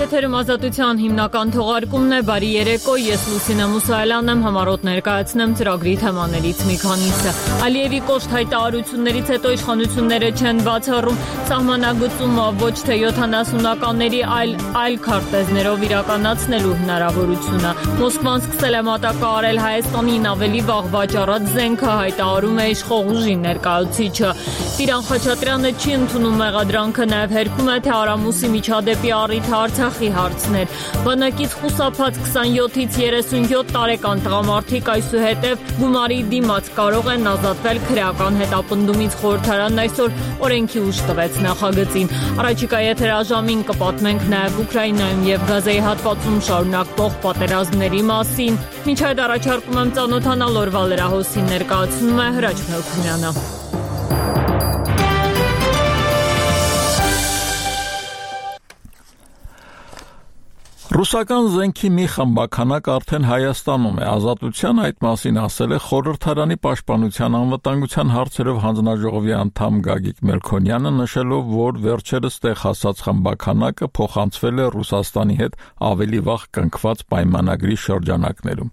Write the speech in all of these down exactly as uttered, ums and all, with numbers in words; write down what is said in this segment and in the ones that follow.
Եթերում ազատության հիմնական թողարկումն է, բարի երեկո, ես Լուսինե Մուսայելյանն եմ, համառոտ ներկայացնեմ ծրագրի թեմաներից մի քանիսը։ Ալիևի կոշտ հայտարարություններից հետո իշխանությունները չեն բացառում սահմանագծումը ոչ թե յոթանասունականների, այլ այլ քարտեզներով իրականացնելու հնարավորությունը։ Մոսկվան սկսել է մատակարարել Հայաստանին ավելի վաղ վաճառած զենքը, հայտարարում է իշխող ուժի ներկայացուցիչը։ Տիրան Խաչատրյանը չի ընդունում մեղադրանքը, նաև հերքում է, թե Արամուսի միջադեպի առիթ Արցախի հարցներ։ Բանակից խուսափած քսանյոթից երեսունյոթ տարեկան տղամարդիկ այսուհետև գումարի դիմաց կարող են ազատվել քրեական հետապնդումից, խորհրդարանն այսօր օրենքի ուժ տվեց նախագծին։ Առաջիկա եթերաժամին կպատմենք նաև Ուկրաինայում եւ Գազայի հատվածում շարունակվող պատերազմների մասին։ Մինչ այդ առաջարկում եմ ծանոթանալ օրվա լրահոսին, ներկայացնում է Հրաչ Մելքոնյանը։ Ռուսական զենքի մի խմբաքանակ արդեն Հայաստանում է, ազատության այդ մասին ասել է խորհրդարանի պաշտպանության անվտանգության հարցերով հանձնաժողովի անդամ Գագիկ Մելքոնյանը, նշելով, որ վերջերս տեղ հասած խմբաքանակը փոխանցվել է Ռուսաստանի հետ ավելի վաղ կնքված պայմանագրի շրջանակներում։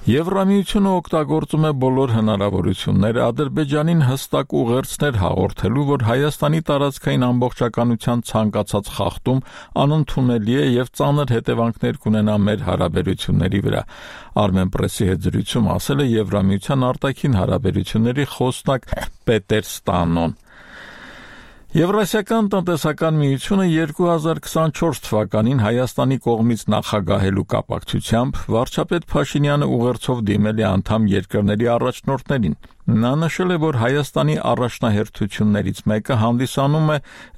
Եվրամիությունը օգտագործում է բոլոր հնարավորությունները Ադրբեջանին հստակ ուղերձներ հաղորդելու, որ Հայաստանի տարածքային ամբողջականության ցանկացած խախտում անընդունելի է եւ ծանր հետևանքներ կունենա մեր հարաբերությունների վրա։ Armen Press-ի հետ զրույցում ասել է Եվրամիության արտաքին հարաբերությունների խոսնակ Պետեր Ստանոն։ Եվրասիական տնտեսական միությունը երկու հազար քսանչորս թվականին Հայաստանի կողմից նախագահելու կապակցությամբ վարչապետ Փաշինյանը ուղերձով դիմել է անդամ երկրների առաջնորդներին։ Նա նշել է, որ Հայաստանի առաջնահերթություններից մեկը հանդիսանում է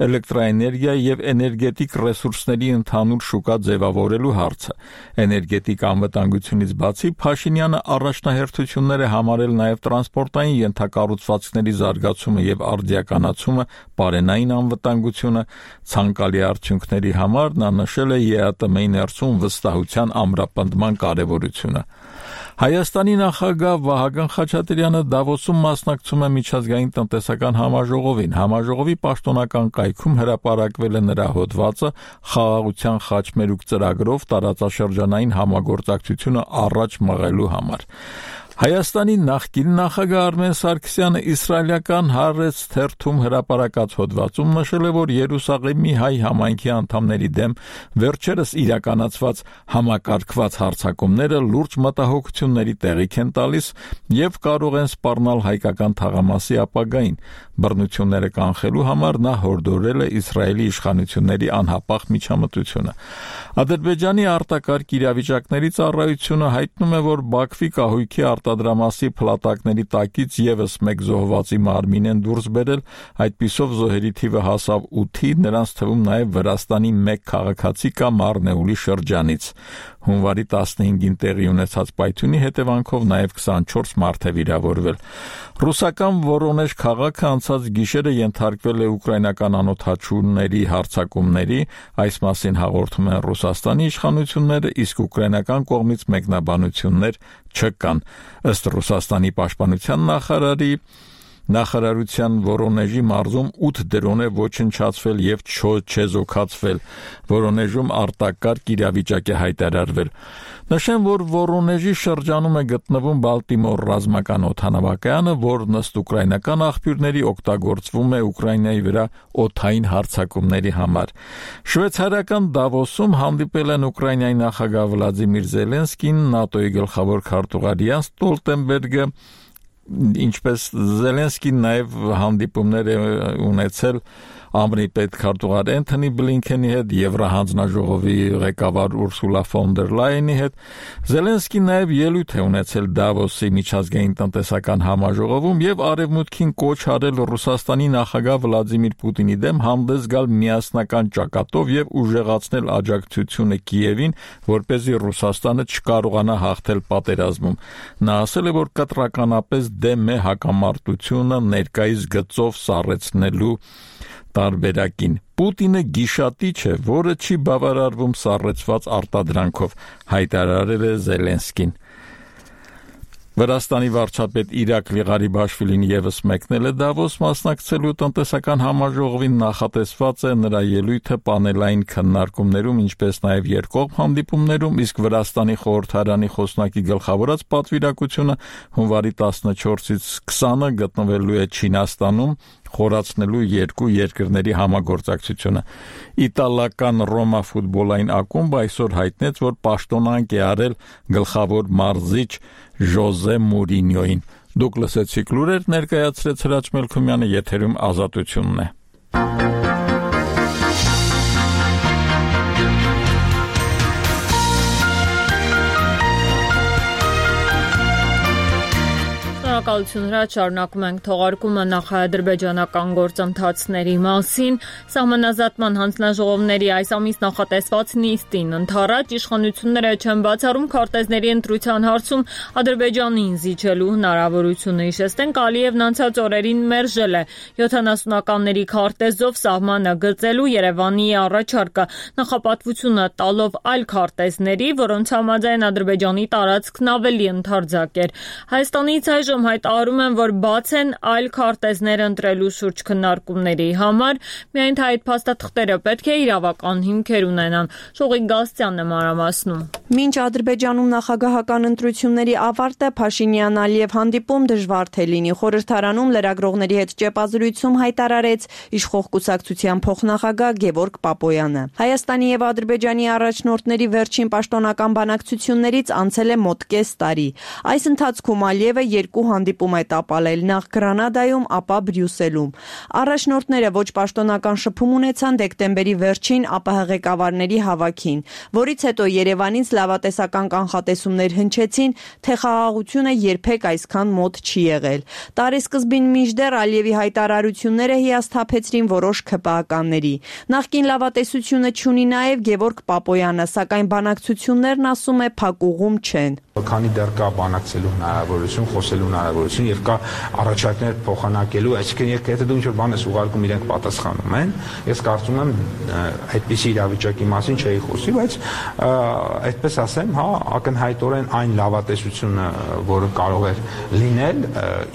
էլեկտրաէներգիա եւ էներգետիկ ռեսուրսների ընդհանուր շուկա ձևավորելու հարցը։ Էներգետիկ անվտանգությունից բացի Փաշինյանը առաջնահերթություններ է համարել նաեւ տրանսպորտային ենթակառուցվածքների զարգացումը եւ արդիականացումը, բարենային անվտանգությունը, ցանկալի արդյունքների համար նա նշել է ԵԱՏՄ-ի ներսում վստահության ամրապնդման կարեւորությունը։ Հայաստանի նախագահ Վահագն Խաչատրյանը Դավոսում մասնակցում է միջազգային տնտեսական համաժողովին։ Համաժողովի պաշտոնական կայքում հրապարակվել է նրա հոդվածը խաղաղության խաչմերուկ ծրագրով տարածաշրջանային համագործակցությունը առաջ մղելու համար։ Հայաստանի նախկին նախագահ Արմեն Սարգսյանը իսրայելական Haaretz թերթում հրապարակած հոդվածում նշել է, որ Երուսաղեմի հայ համայնքի անդամների դեմ վերջերս իրականացված համակարգված հարձակումները լուրջ մտահոգությունների տեղիք են տալիս եւ կարող են սպառնալ հայկական թաղամասի ապագային։ Բռնությունները կանխելու համար նա հորդորել է Իսրայելի իշխանությունների անհապաղ միջամտությունը։ Ադրբեջանի արտակարգ իրավիճակների ծառայությունը հայտնում է, որ Բաքվի կահույքի արտադրամասի փլատակների տակից եւս մեկ զոհվածի մարմին են դուրս բերել, այդպիսով զոհերի թիվը հասավ ութի, նրանց թվում նաեւ Վրաստանի մեկ քաղաքացի կա Մարնեուլի շրջանից։ Հունվարի տասնհինգին տեղի ունեցած պայթյունի հետևանքով նաեւ քսանչորս մարդ է վիրավորվել։ Ռուսական Վորոնեժ քաղաքը անցած գիշերը ենթարկվել է ուկրաինական անօդաչուների հարձակումների, այս մասին հաղորդում են Ռուսաստանի իշխանությունները, իսկ ուկրաինական կողմից մեկնաբանություններ չկան։ Ըստ Ռուսաստանի պաշտպանության նախարարի Նախարարության Վորոնեժի մարզում ութ դրոն է ոչնչացվել եւ չեզոքացվել։ Վորոնեժում արտակարգ իրավիճակ է հայտարարվել։ Նշեմ, որ Վորոնեժի շրջանում է գտնվում Բալտիմոր ռազմական օդանավակայանը, որն ըստ ուկրաինական աղբյուրների օգտագործվում է Ուկրաինայի վրա օդային հարձակումների համար։ Շվեյցարիական Դավոսում հանդիպել են Ուկրաինայի նախագահ Վլադիմիր Զելենսկին, ՆԱՏՕ-ի գլխավոր քարտուղար Յանս Ստոլտենբերգը, ինչպես Զելենսկին նաև հանդիպումներ է ունեցել ԱՄՆ-ի պետքարտուղար Էնթոնի Բլինքենի հետ, Եվրահանձնաժողովի ղեկավար Ուրսուլա ֆոն դեր Լայենի հետ։ Զելենսկին նաև ելույթ է ունեցել Դավոսի միջազգային տնտեսական համաժողովում եւ արևմուտքին կոչ արել Ռուսաստանի նախագահ Վլադիմիր Պուտինի դեմ հանդես գալ միասնական ճակատով եւ ուժեղացնել աջակցությունը Կիևին, որպեսզի Ռուսաստանը չկարողանա հաղթել պատերազմում։ Նա ասել է, որ կտրականապես դեմ է հակամարտությունը ներկայիս գծով սառեցնելու տարբերակին։ Պուտինը գիշատիչ է, որը չի բավարարվում սառեցված արտադրանքով, հայտարարել է Զելենսկին։ Վրաստանի վարչապետ Իրակ Լիղարիբաշվիլին եւս մեկնել է Դավոս մասնակցելու տնտեսական համաժողովին, նախատեսված է նրա ելույթը պանելային քննարկումներում, ինչպես նաեւ երկկողմ հանդիպումներում, իսկ Վրաստանի խորհրդարանի խոսնակի գլխավորած պատվիրակությունը հունվարի տասնչորսից քսանը գտնվելու է Չինաստանում, խորացնելու երկու երկրների համագործակցությունը։ Իտալական Ռոմա ֆուտբոլային ակումբը այսօր հայտնեց, որ պաշտոնանկ է արել գլխավոր մարզիչ Ժոզե Մուրինյոին։ Դուք լսեցիք լուրեր, ներկայացրեց Հրաչ Մելքումյանը, եթերում Ազատությունն է։ Շնորհակալություն Հրաչ, շարունակում ենք թողարկումը նախաադրբեջանական գործընթացների մասին։ Սահմանազատման հանձնաժողովների այս ամիս նախատեսված նիստին ընդառաջ իշխանությունները չեն բացառում քարտեզների ընտրության հարցում Ադրբեջանին զիջելու հնարավորությունը։ Հիշեցնենք, Ալիևն անցած օրերին մերժել է յոթանասունականների քարտեզով սահմանը գծելու Երևանի առաջարկը, նախապատվությունը տալով այլ քարտեզների, որոնց համաձայն Ադրբեջանի տարածքն ավելի ընդարձակ էր։ Հայաստանից այժմ հայտարարում են, որ բաց են այլ քարտեզներ ընտրելու շուրջ քննարկումների համար, միայն թե այդ փաստաթղթերը պետք է իրավական հիմքեր ունենան։ Շողիկ Գասցյանն է մանրամասնում։ Մինչ Ադրբեջանում նախագահական ընտրությունների ավարտը Փաշինյան-Ալիև հանդիպում դժվար թե լինի։ Խորհրդարանում լրագրողների հետ ճեպազրույցում հայտարարեց իշխող կուսակցության փոխնախագահ Գևորգ Պապոյանը։ Հայաստանի եւ Ադրբեջանի առաջնորդների վերջին պաշտոնական բանակցություններից անցել է մոտ կես տարի։ Այս ընթացքում Ալիևը երկու հանդիպում է տապալել, նախ Գրանադայում, ապա Բրյուսելում։ Առաջնորդները ոչ պաշտոնական շփում ունեցան դեկտեմբերի վերջին ԱՊՀ ղեկավարների հավաքին, որից հետո Երևանից լավատեսական կանխատեսումներ հնչեցին, թե խաղաղությունը երբեք այսքան մոտ չի եղել։ Տարեսկզբին մինչդեռ Ալիևի հայտարարությունները հիասթափեցրին որոշ ՔՊԱ-կանների։ Նախկին լավատեսությունը չունի նաև Գևորգ Պապոյանը, սակայն բանակցություններն, ասում է, փակուղում չեն։ Քանի դեռ կա բանակցելու հնարավորություն, խոսելու հնարավորություն եւ կա առաջարկներ փոխանակելու, այսինքն եթե դու ինչ-որ բան ես ուղարկում, իրենք պատասխանում են, ես կարծում եմ այդպիսի իրավիճակի մասին չէի խոսի, բայց այդպես ասեմ, հա, ակնհայտորեն այն լավատեսությունը, որը կարող էր լինել,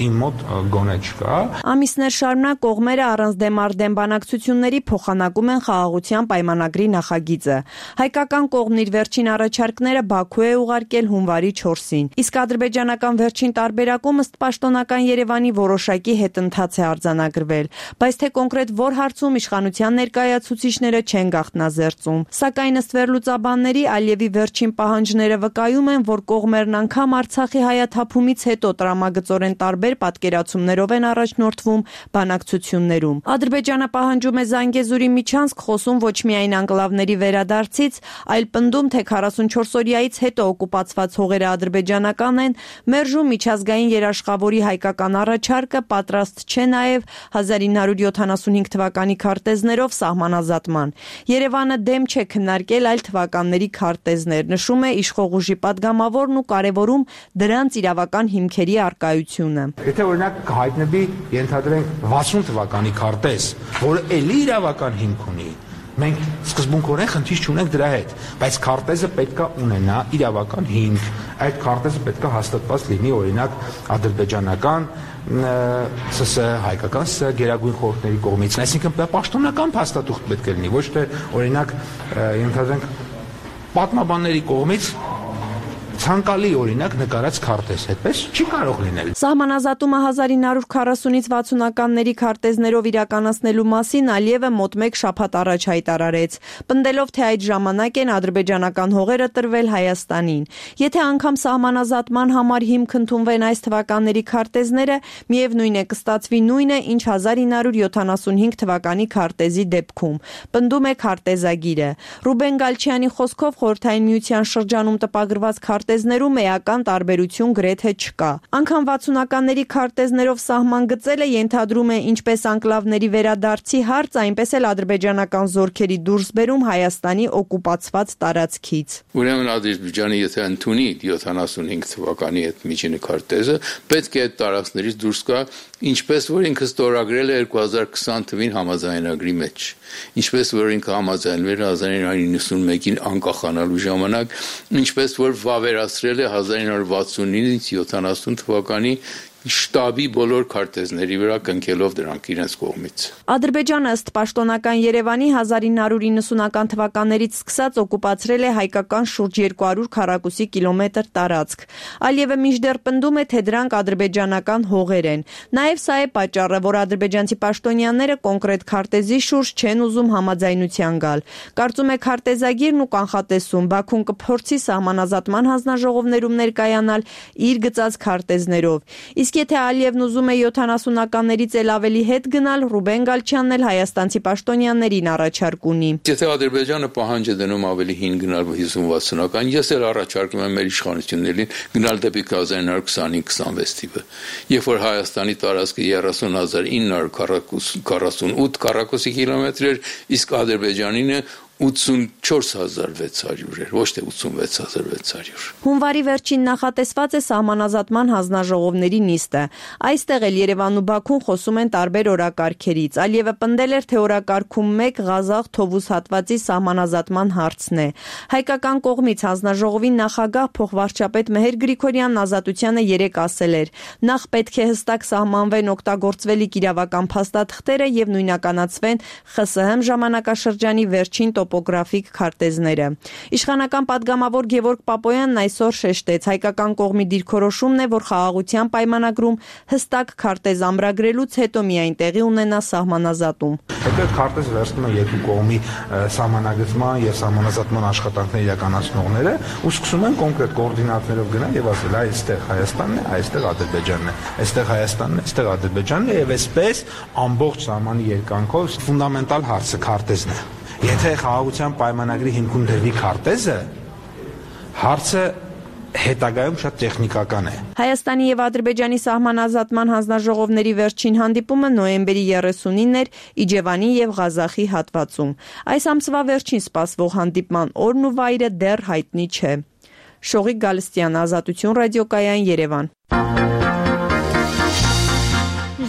իմ մոտ գոնե չկա։ Ամիսներ շարունակ կողմերը առանց դեմարդեմ բանակցությունների փոխանակում են խաղաղության պայմանագրի նախագիծը։ Հայկական կողմն իր վերջին առաջարկները Բաքու է ուղարկել հունվարի չորսին, իսկ ադրբեջանական վերջին տարբերակում ըստ պաշտոնական Երևանի որոշակի հետընթաց է արձանագրվել, բայց թե կոնկրետ որ հարցում իշխանության ներկայացուցիչները չեն գաղտնազերծում։ Սակայն ըստ վերլուծաբանների Ալիևի վերջին պահանջները վկայում են, որ կողմերն անգամ Արցախի հայաթափումից հետո տրամագծորեն տարբեր պատկերացումներով են առաջնորդվում բանակցություններում։ Ադրբեջանը պահանջում է Զանգեզուրի միջանցք, խոսում ոչ միայն անկլավների վերադարձից, այլ պնդում, թե քառասունչորս օրյայից հետո օկուպացված հողերը ադրբեջանական են, մերժում միջազգային երաշխավորի հայկական առաջարկը, պատրաստ չէ նաև հազար ինը հարյուր յոթանասունհինգ թվականի քարտեզներով սահմանազատման։ Երևանը դեմ չէ քննարկել այլ թվականների քարտեզներ, նշում է իշխող ուժի падգամավորն ու կարևորում դրանց իրավական հիմքերի առկայությունը։ Եթե օրինակ հայտնվի, ենթադրենք վաթսուն թվականի քարտեզ, որը էլի իրավական հիմք ունի, մենք սկզբունքորեն խնդիր չունենք դրա հետ, բայց քարտեզը պետքա ունենա իրավական հիմք, այդ քարտեզը պետքա հաստատված լինի օրինակ ադրբեջանական ՍՍ, հայկական ՍՍ գերագույն խորհուրդների կողմից, այսինքն պաշտոնական փաստաթուղթ պետք է լինի, ոչ թե օրինակ ենթադրենք պատմաբանների կողմից ցանկալի օրինակ նկարած քարտեզ, այդպես չի կարող լինել։ Սահմանազատումը հազար ինը հարյուր քառասունից վաթսունականների քարտեզներով իրականացնելու մասին Ալիևը մոտ մեկ շաբաթ առաջ հայտարարեց, պնդելով, թե այդ ժամանակ են ադրբեջանական հողերը տրվել Հայաստանին։ Եթե անգամ սահմանազատման համար հիմք ընդունվեն այս թվականների քարտեզները, միևնույն է կստացվի նույնը, ինչ հազար ինը հարյուր յոթանասունհինգ թվականի քարտեզի դեպքում, պնդում է քարտեզագիրը։ Ռուբեն Գալչյանի խոսքով Խորհրդային Միության շրջանում տպագրված քարտեզներում էական տարբերություն գրեթե չկա։ Անգամ վաթսունականների քարտեզներով սահման գծելը ենթադրում է ինչպես անկլավների վերադարձի հարց, այնպես էլ ադրբեջանական զորքերի դուրսբերում Հայաստանի օկուպացված տարածքից։ Ուրեմն Ադրբեջանը եթե ընդունի յոթանասունհինգ թվականի այդ միջին քարտեզը, պետք է այդ տարածքներից դուրս գա, ինչպես որ ինքը ստորագրել է երկու հազար քսան թվին համաձայնագրի մեջ։ ինչպես որ ինքը համաձայնվել է հազար ինը հարյուր նվաթ մեկին անկախանալու ժամանակ, ինչպես որ վավերացրել է հազար ինը հարյուր վաթսունինից յոթանասուն թվականի շտաբի բոլոր քարտեզների վրա կնքելով դրանք իրենց կողմից։ Ադրբեջանը ըստ պաշտոնական Երևանի հազար ինը հարյուր իննսունական թվականներից սկսած օկուպացրել է հայկական շուրջ երկու հարյուր քառակուսի կիլոմետր տարածք։ Ալիևը մինչդեռ պնդում է, թե դրանք ադրբեջանական հողեր են։ Նաև սա է պատճառը, որ ադրբեջանցի պաշտոնյաները կոնկրետ քարտեզի շուրջ չեն ուզում համաձայնության գալ։ Կարծում է քարտեզագիրն ու կանխատեսում Բաքուն կփորձի սահմանազատման հանձնաժողովներում ներկայանալ իր գծած քարտեզներով։ Իսկ եթե Ալիևն ուզում է յոթանասունականներից էլ ավելի հետ գնալ, Ռուբեն Գալչյանն էլ հայաստանցի պաշտոնյաներին առաջարկ ունի։ Եթե Ադրբեջանը պահանջ է դնում ավելի հին գնալ հիսուն վաթսունական, ես էլ առաջարկում եմ մեր իշխանություններին գնալ դեպի հազար ինը հարյուր քսանհինգ քսանվեց թիվը։ Երբ որ Հայաստանի տարածքը երեսուն հազար ինը հարյուր քառասունութ քառակուսի կիլոմետր էր, իսկ Ադրբեջանինը ութսունչորս հազար վեց հարյուր էր, ոչ թե ութսունվեց հազար վեց հարյուր։ Հունվարի վերջին նախատեսված է սահմանազատման հանձնաժողովների նիստը։ Այստեղ էլ Երևանն ու Բաքուն խոսում են տարբեր օրակարգերից։ Ալիևը պնդել էր, թե օրակարգում մեկ Ղազախ-Թովուզ հատվածի սահմանազատման հարցն է։ Հայկական կողմից հանձնաժողովի նախագահ փոխվարչապետ Մեհեր Գրիգորյանն Ազատությանը երեկ ասել էր. նախ պետք է հստակ սահմանվեն օգտագործվելիք իրավական փաստաթղթերը եւ նույնականացվեն ԽՍՀՄ ժամանակաշրջանի վերջին տոպոգրաֆիկ քարտեզները։ Իշխանական падգամավոր Գևորգ Պապոյանն այսօր շեշտեց, հայկական կողմի դիրքորոշումն է, որ խաղաղության պայմանագրում հստակ քարտեզ ամրագրելուց հետո միայն տեղի ունենա սահմանազատում։ Հետո այդ քարտեզը վերցնում են երկու կողմի սահմանագծման եւ սահմանազատման աշխատանքներ իրականացնողները ու սկսում են կոնկրետ կոորդինատներով գնալ եւ ասել, այստեղ Հայաստանն է, այստեղ Ադրբեջանն է, այստեղ Հայաստանն է, այստեղ Ադրբեջանն է եւ այսպես ամբողջ սահմանի երկայնքով ֆունդամենտալ հարցը քարտեզն է։ Եթե խաղաղության պայմանագրի հիմքում դրվի քարտեզը, հարցը հետագայում շատ տեխնիկական է։ Հայաստանի եւ Ադրբեջանի սահմանազատման հանձնաժողովների վերջին հանդիպումը նոյեմբերի երեսունինն էր Իջևանի եւ Ղազախի հատվածում։ Այս ամսվա վերջին սպասվող հանդիպման օրն ու վայրը դեռ հայտնի չէ։ Շողիկ Գալստյան, Ազատություն ռադիոկայան, Երևան։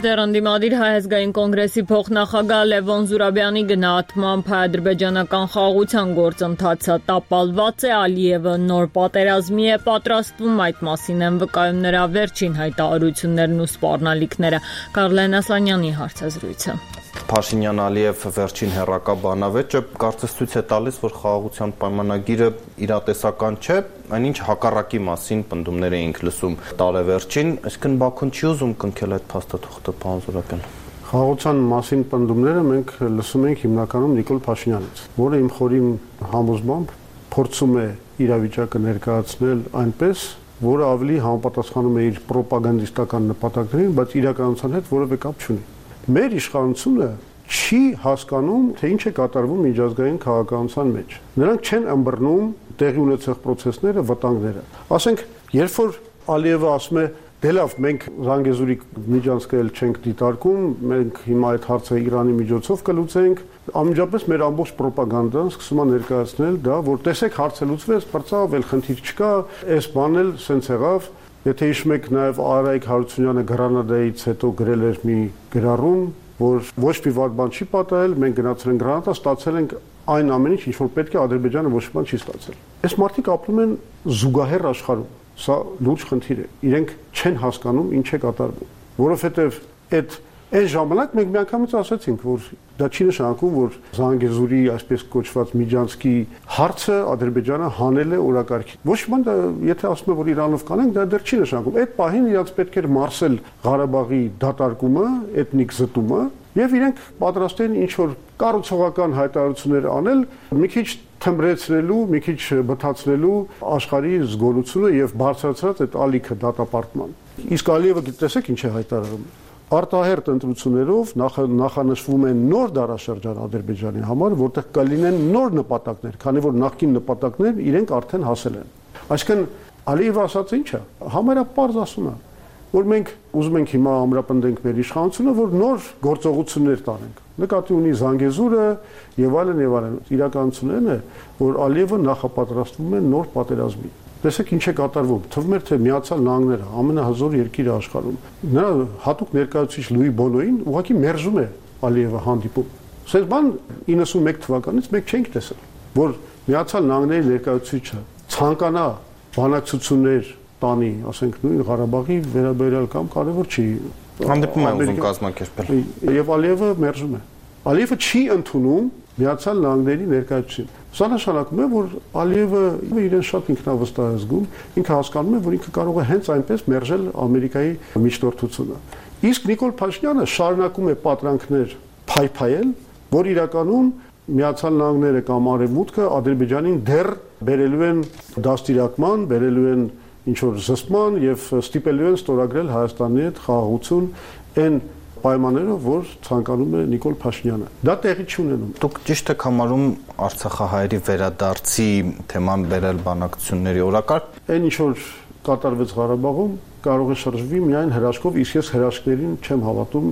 Դեռ անդիմադիր Հայ ազգային կոնգրեսի փոխնախագահ Լևոն Զուրաբյանի գնահատմամբ հայ-ադրբեջանական խաղաղության գործընթացը տապալված է, Ալիևը նոր պատերազմի է պատրաստվում, այդ մասին են վկայում նրա վերջին հայտարարություններն ու սպառնալիքները։ Կարլեն Ասլանյանի հարցազրույցը։ Փաշինյան-Ալիև վերջին հերրակա բանավեճը կարծես ցույց է տալիս, որ խաղաղության պայմանագիրը իրատեսական չէ, այնինչ հակառակի մասին պնդումներ էինք լսում տարեվերջին, այսինքն Բաքուն չի ուզում կնքել այդ փաստաթուղթը, պարոն Զուրաբյան։ Խաղաղության մասին պնդումները մենք լսում ենք հիմնականում Նիկոլ Փաշինյանից, որը իմ խորին համոզմամբ փորձում է իրավիճակը ներկայացնել այնպես, որը ավելի համապատասխանում է իր պրոպագանդիստական նպատակներին, բայց իրականության հետ որևէ կապ չունի։ Մեր իշխանությունը չի հասկանում, թե ինչ է կատարվում միջազգային քաղաքականության մեջ։ Նրանք չեն ըմբռնում տեղի ունեցող process-ները, վտանգները։ Ասենք, երբ որ Ալիևը ասում է, դե լավ, մենք Զանգեզուրի միջանցքը չենք դիտարկում, մենք հիմա այդ հարցը Իրանի միջոցով կլուծենք, անմիջապես մեր ամբողջ պրոպագանդան սկսում է ներկայացնել դա, որ տեսեք հարցը լուծվեց, բրծավ, էլ խնդիր չկա, այս բանն էլ սենց եղավ։ Եթե հիշում եք, նաև Արայիկ Հարությունյանը Գրանադայից հետո գրել էր մի գրառում, որ ոչ մի վատ բան չի պատահել, մենք գնացել ենք Գրանադա, ստացել ենք այն ամեն ինչ, ինչ որ պետք է, Ադրբեջանը ոչ մի բան չի ստացել։ Այս մարդիկ ապրում են զուգահեռ աշխարհում։ Սա լուրջ խնդիր է։ Իրենք չեն հասկանում ինչ է կատարվում, որովհետև այդ Այս ժամանակ մենք միանգամից ասացինք, որ դա չի նշանակում, որ Զանգեզուրի այսպես կոչված միջանցքի հարցը Ադրբեջանը հանել է օրակարգի։ Ոչ ոք եթե ասում է, որ Իրանով կանենք, դա դեռ չի նշանակում։ Այդ պահին իրաց պետք էր մարսել Ղարաբաղի դատարկումը, էթնիկ զտումը, եւ իրենք պատրաստ են ինչ որ կառուցողական հայտարարություններ անել, մի քիչ թմրեցնելու, մի քիչ բթացնելու աշխարհի զգոնությունը եւ բարձրացած այդ ալիքը դատապարտման։ Իսկ Ալիևը տեսեք ինչ է հայտարարում։ Արտահերտ ընտրություններով նախանշվում են նոր դարաշրջան Ադրբեջանի համար, որտեղ կլինեն նոր նպատակներ, քանի որ նախկին նպատակներ իրենք արդեն հասել են։ Այսինքն Ալիևը ասածը ինչ է, համարապարզ ասում է, որ մենք ուզում ենք հիմա ամրապնդենք մեր իշխանությունը, որ նոր գործողություններ տանենք։ Նկատի ունի Զանգեզուրը եւ այլն եւ այլն։ Իրականությունն է, որ Ալիևը նախապատրաստվում է նոր պատերազմի։ Տեսեք ինչ է կատարվում։ Թվում է թե Միացյալ Նահանգները ամենահզոր երկիրը աշխարհում։ Նրա հատուկ ներկայացուցիչ Լուի Բոնոին ուղղակի մերժում է Ալիևը հանդիպում։ Սենց բան իննսունմեկ թվականից մենք չենք տեսել, որ Միացյալ Նահանգների ներկայացուցիչը ցանկանա բանակցություններ տանի, ասենք նույն Ղարաբաղի վերաբերյալ կամ կարևոր չի։ Հանդիպում է ուզում կազմակերպել։ Եվ Ալիևը մերժում է։ Ալիևը չի ընդունում Միացյալ Նահանգների ներկայացուցիչին։ Սա նշանակում է, որ Ալիևը իրեն շատ ինքնավստահ է զգում, ինքը հասկանում է, որ ինքը կարող է հենց այնպես մերժել Ամերիկայի միջնորդությունը։ Իսկ Նիկոլ Փաշինյանը շարունակում է պատրանքներ փայփայել, որ իրականում Միացյալ Նահանգները կամ Արևմուտքը Ադրբեջանին դեռ բերելու են դաստիարակման, բերելու են ինչ որ զսպման եւ ստիպելու են ստորագրել Հայաստանի հետ խաղաղություն այն պայմաններով, որ ցանկանում է Նիկոլ Փաշինյանը։ Դա տեղի չունենում։ Դուք ճիշտ եք համարում Արցախահայերի վերադարձի թեման բերել բանակցությունների օրակարգ։ Այն ինչ որ կատարվեց Ղարաբաղում, կարող է շրջվի միայն հրաշքով, իսկ ես հրաշքներին չեմ հավատում։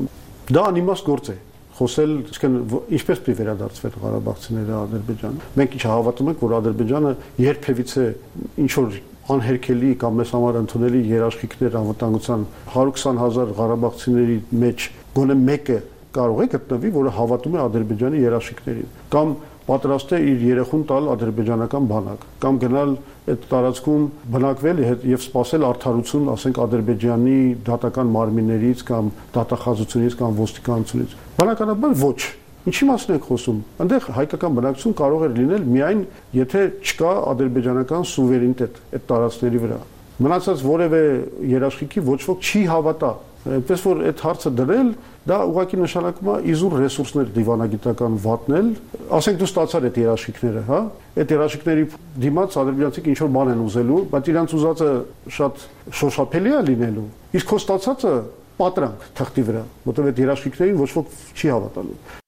Դա անիմաստ գործ է։ Խոսել, իսկն ինչպես պիտի վերադարձվեն ղարաբաղցիները Ադրբեջան։ Մենք ինչ հավատում ենք, որ Ադրբեջանը երբևիցե ինչ որ անհերքելի կամ մեզ համար ընդունելի երաշխիքներ անվտանգության հարյուր քսան հազար ղարաբաղցիների մեջ գոնե մեկը կարող է գտնվի, որը հավատում է Ադրբեջանի երաշխիքներին, կամ պատրաստ է իր երեխուն տալ ադրբեջանական բանակ, կամ գնալ այդ տարածքում բնակվել եւ սպասել արդարություն, ասենք Ադրբեջանի դատական մարմիններից կամ դատախազությունից կամ ոստիկանությունից։ Բնականաբար ոչ։ Ինչի մասին եք խոսում։ Այնտեղ հայկական բնակչություն կարող է լինել միայն եթե չկա ադրբեջանական սուվերենիտետ այդ տարածքների վրա։ Մնացած որևէ երաշխիքի ոչ ոք չի հավատա։ Այնպես որ այդ հարցը դրել, դա ուղղակի նշանակում է իզուր ռեսուրսներ դիվանագիտական վատնել, ասենք դու ստացար այդ երաշխիքները, հա, այդ երաշխիքների դիմաց ադրբեջանցիք ինչ որ բան են ուզելու, բայց իրանց ուզածը շատ շոշափելի է լինելու, իսկ քո ստացածը պատրանք թղթի վրա, որտեղ այդ երաշխիքներին ոչ ոք չի հավատալու։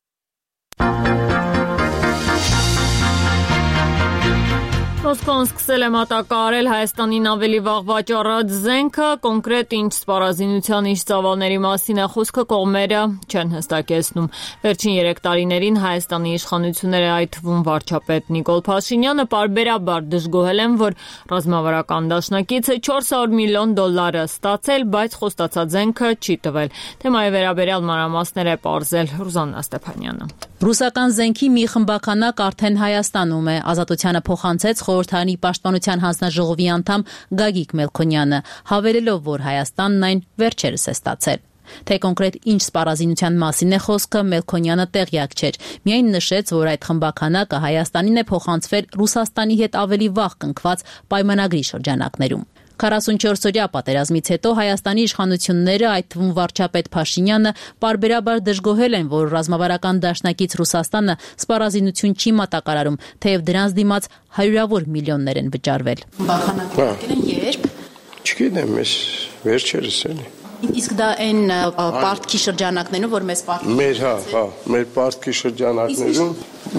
Մոսկվան սկսել է մատակարարել Հայաստանին ավելի վաղ վաճառած զենքը, կոնկրետ ինչ սպառազինության ինչ ծավալների մասին է խոսքը կողմերը չեն հստակեցնում։ Վերջին երեք տարիներին Հայաստանի իշխանությունները, այդ թվում վարչապետ Նիկոլ Փաշինյանը, պարբերաբար դժգոհել են, որ ռազմավարական դաշնակիցը չորս հարյուր միլիոն դոլար է ստացել, բայց խոստացած զենքը չի տվել։ Թեմայի վերաբերյալ մանրամասներ է պարզել Ռուզաննա Ստեփանյանը։ Ռուսական զենքի մի խմբականակ արդեն Հայաստանում է, Ազատությանը փոխանցեց Խորհրդարանի պաշտպանության հանձնաժողովի անդամ Գագիկ Մելքոնյանը, հավելելով, որ Հայաստանն այն վերջերս է ստացել։ Թե կոնկրետ ինչ սպառազինության մասին է խոսքը, Մելքոնյանը տեղյակ չէր, միայն նշեց, որ այդ խմբականակը Հայաստանին է փոխանցվել Ռուսաստանի հետ ավելի վաղ կնքված պայմանագրի շրջանակներում։ քառասունչորսօրյա պատերազմից հետո Հայաստանի իշխանությունները, այդ թվում վարչապետ Փաշինյանը, պարբերաբար դժգոհել են, որ ռազմավարական դաշնակից Ռուսաստանը սպառազինություն չի մատակարարում, թեև դրանց դիմաց հարյուրավոր միլիոններ են վճարվել։ Բախանակել են երբ։ Չգիտեմ, ես վերջերս էլի։ Իսկ դա այն պարտքի շրջանակներում, որ մեզ պարտքի։ Մեր, հա, հա, մեր պարտքի շրջանակներում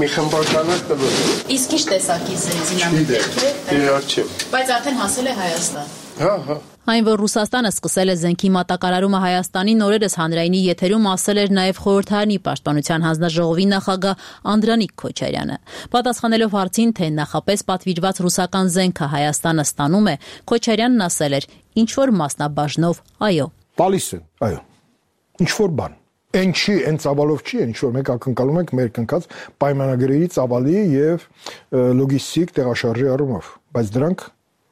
մի խմբականակ տվել։ Իսկ ինչ տեսակի զինամիջոց է։ Իրար չէ։ Բայց արդեն հասել է Հայաստան։ Հա, հա։ Այն, որ Ռուսաստանը սկսել է զենքի մատակարարումը Հայաստանին, օրերս հանրայինի եթերում ասել էր նաև Խորհրդարանի պաշտպանության հանձնաժողովի նախագահ Անդրանիկ Քոչարյանը։ Պատասխանելով հարցին, թե նախապես պատվիրված ռուսական զենքը Հայաստանը ստանում է, Քոչարյանն ասել էր. ինչ որ մասնաբաժնով, այո։ Տալիս են, այո։ Ինչ որ բան։ Այն չի, այն ծավալով չի, ինչ որ մենք ակնկալում ենք մեր կնքած պայմանագրերի ծավալի եւ լոգիստիկ տեղաշարժի առումով, բայց դրանք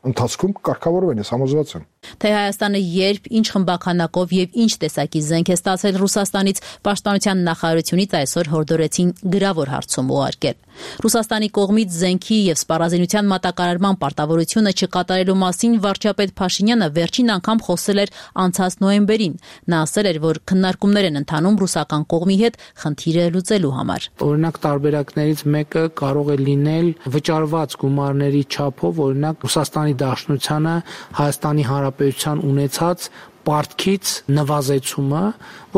ընթացքում կարգավորվում են, ես համոզված եմ։ Թե Հայաստանը երբ, ինչ խմբականակով եւ ինչ տեսակի զենք է ստացել Ռուսաստանից, պաշտպանության նախարարությունից այսօր հորդորեցին գրավոր հարցում ուղարկել։ Ռուսաստանի կողմից զենքի եւ սպառազինության մատակարարման պարտավորությունը չկատարելու մասին վարչապետ Փաշինյանը վերջին անգամ խոսել էր անցած նոյեմբերին։ Նա ասել էր, որ քննարկումներ են ընթանում ռուսական կողմի հետ խնդիրը լուծելու համար։ Օրինակ տարբերակներից մեկը կարող է լինել վճարված գումարների չափով, օրինակ Ռուսաստանի Դաշնությանը Հայաստանի Հանրապետության ունեցած պարտքից նվազեցումը,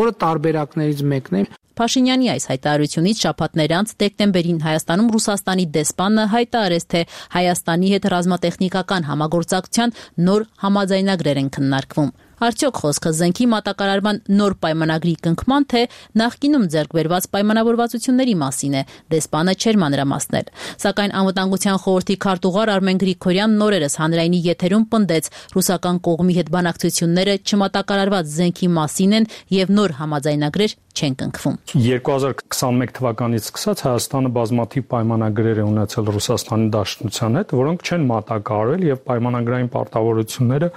որը տարբերակներից մեկն է։ Փաշինյանի այս հայտարարությունից շաբաթներ անց դեկտեմբերին Հայաստանում Ռուսաստանի դեսպանը հայտարարեց, թե Հայաստանի հետ ռազմատեխնիկական համագործակցության նոր համաձայնագրեր են քննարկվում։ Արդյոք խոսքը զենքի մատակարարման նոր պայմանագրի կնքման, թե նախկինում ձեռք բերված պայմանավորվածությունների մասին է, դեսպանը չէր մանրամասնել։ Սակայն անվտանգության խորհրդի քարտուղար Արմեն Գրիգորյանն օրերս հանրայինի եթերում պնդեց, ռուսական կողմի հետ բանակցությունները չմատակարարված զենքի մասին են եւ նոր համաձայնագրեր չեն կնքվում։ երկու հազար քսաներկու թվականից սկսած Հայաստանը բազմաթիվ պայմանագրեր է ունեցել Ռուսաստանի Դաշնության հետ, որոնք չեն մատակարարվել եւ պայմանագրային պարտավորությունները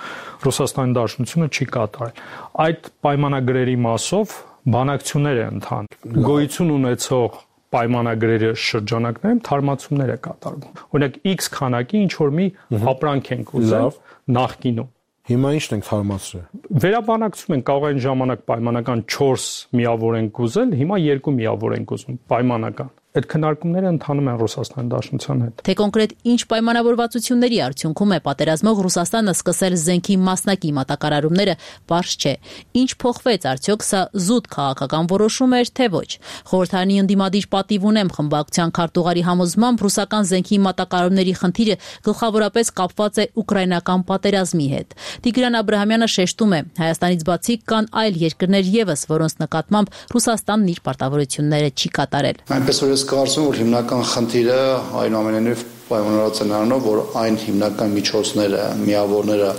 Ռուսաստանի Դաշնությունը չի կատարել։ Այդ պայմանագրերի մասով բանակցություններ են ընթանում։ Գոյություն ունեցող պայմանագրերի շրջանակներում թարմացումներ է կատարվում։ Օրինակ X քանակի ինչ որ մի ապրանք ենք ուզել նախկինում։ Հիմա ի՞նչն ենք թարմացրել։ Վերաբանակցում են, կարող այն ժամանակ պայմանական չորս միավոր ենք ուզել, հիմա երկու միավոր ենք ուզում, պայմանական։ Այդ քննարկումները ընթանում են Ռուսաստանի Դաշնության հետ։ Թե կոնկրետ ինչ պայմանավորվածությունների արդյունքում է պատերազմող Ռուսաստանը սկսել զենքի մասնակի մատակարարումները, պարզ չէ։ Ինչ փոխվեց, արդյոք սա զուտ քաղաքական որոշում էր, թե ոչ։ Խորհրդարանի ընդդիմադիր պատիվ ունեմ խմբակցության քարտուղարի համոզմամբ ռուսական զենքի մատակարարումների խնդիրը գլխավորապես կապված է ուկրաինական պատերազմի հետ։ Տիգրան Աբրահամյանը շեշտում է, Հայաստանից բացի կան այլ երկրներ եւս, որոնց նկատմամբ Ռուսաստանն իր պարտավորությունները չի կատարել։ Այնպես որ ես կարծում եմ, որ հիմնական խնդիրը այնուամենայնիվ պայմանավորված է նրանով, որ այն հիմնական միջոցները, միավորները,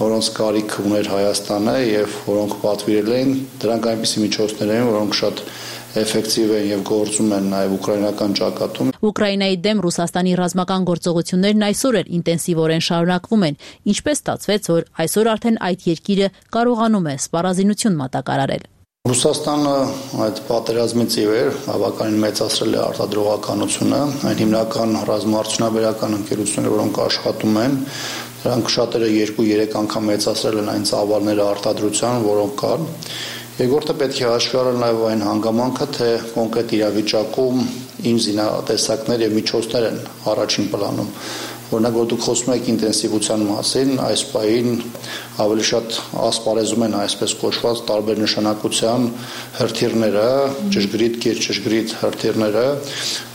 որոնց կարիք ուներ Հայաստանը եւ որոնք պատվիրել էին, դրանք այնպիսի միջոցներ են, որոնք շատ էֆեկտիվ են եւ գործում են նաեւ ուկրաինական ճակատում։ Ուկրաինայի դեմ Ռուսաստանի ռազմական գործողություններն այսօր էլ ինտենսիվորեն շարունակվում են, ինչպես ստացվեց, որ այսօր արդեն այդ երկիրը կարողանում է սպառազինություն մատակարարել։ Ռուսաստանը այդ պատերազմից ի վեր բավականին մեծացրել է արտադրողականությունը, այն հիմնական ռազմաարդյունաբերական ընկերությունները, որոնք աշխատում են, դրանք շատերը երկու-երեք անգամ մեծացրել են այն ծավալները արտադրության, որոնք կան։ Երկրորդը պետք է հաշվի առնել նաև այն հանգամանքը, թե կոնկրետ իրավիճակում ինչ զինատեսակներ եւ միջոցներ են առաջին պլանում։ Օրինակ, որ դուք խոսում եք ինտենսիվության մասին, այս պահին ավելի շատ ասպարեզում են այսպես կոչված տարբեր նշանակության հրթիռները, ճշգրիտ գերճշգրիտ հրթիռները,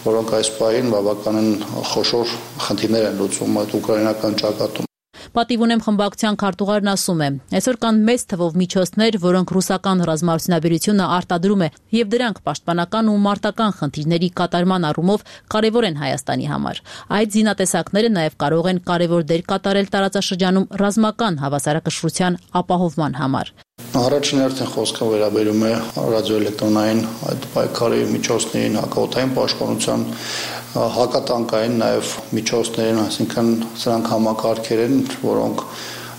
որոնք այս պահին բավականին խոշոր խնդիրներ են լուծում այդ ուկրաինական ճակատում։ Պատիվ ունեմ խմբակցության քարտուղարն ասում է, այսօր կան մեծ թվով միջոցներ, որոնք ռուսական ռազմաարդյունաբերությունը արտադրում է, եւ դրանք պաշտպանական ու մարտական խնդիրների կատարման առումով կարեւոր են Հայաստանի համար։ Այդ զինատեսակները նաեւ կարող են կարեւոր դեր կատարել տարածաշրջանում ռազմական հավասարակշռության ապահովման համար։ Առաջին հերթին խոսքը վերաբերում է ռադիոէլեկտրոնային այդ պայքարի միջոցներին, հակաօդային պաշտպանության, հակատանկային նաև միջոցներին, այսինքն սրանք համակարգեր են, որոնք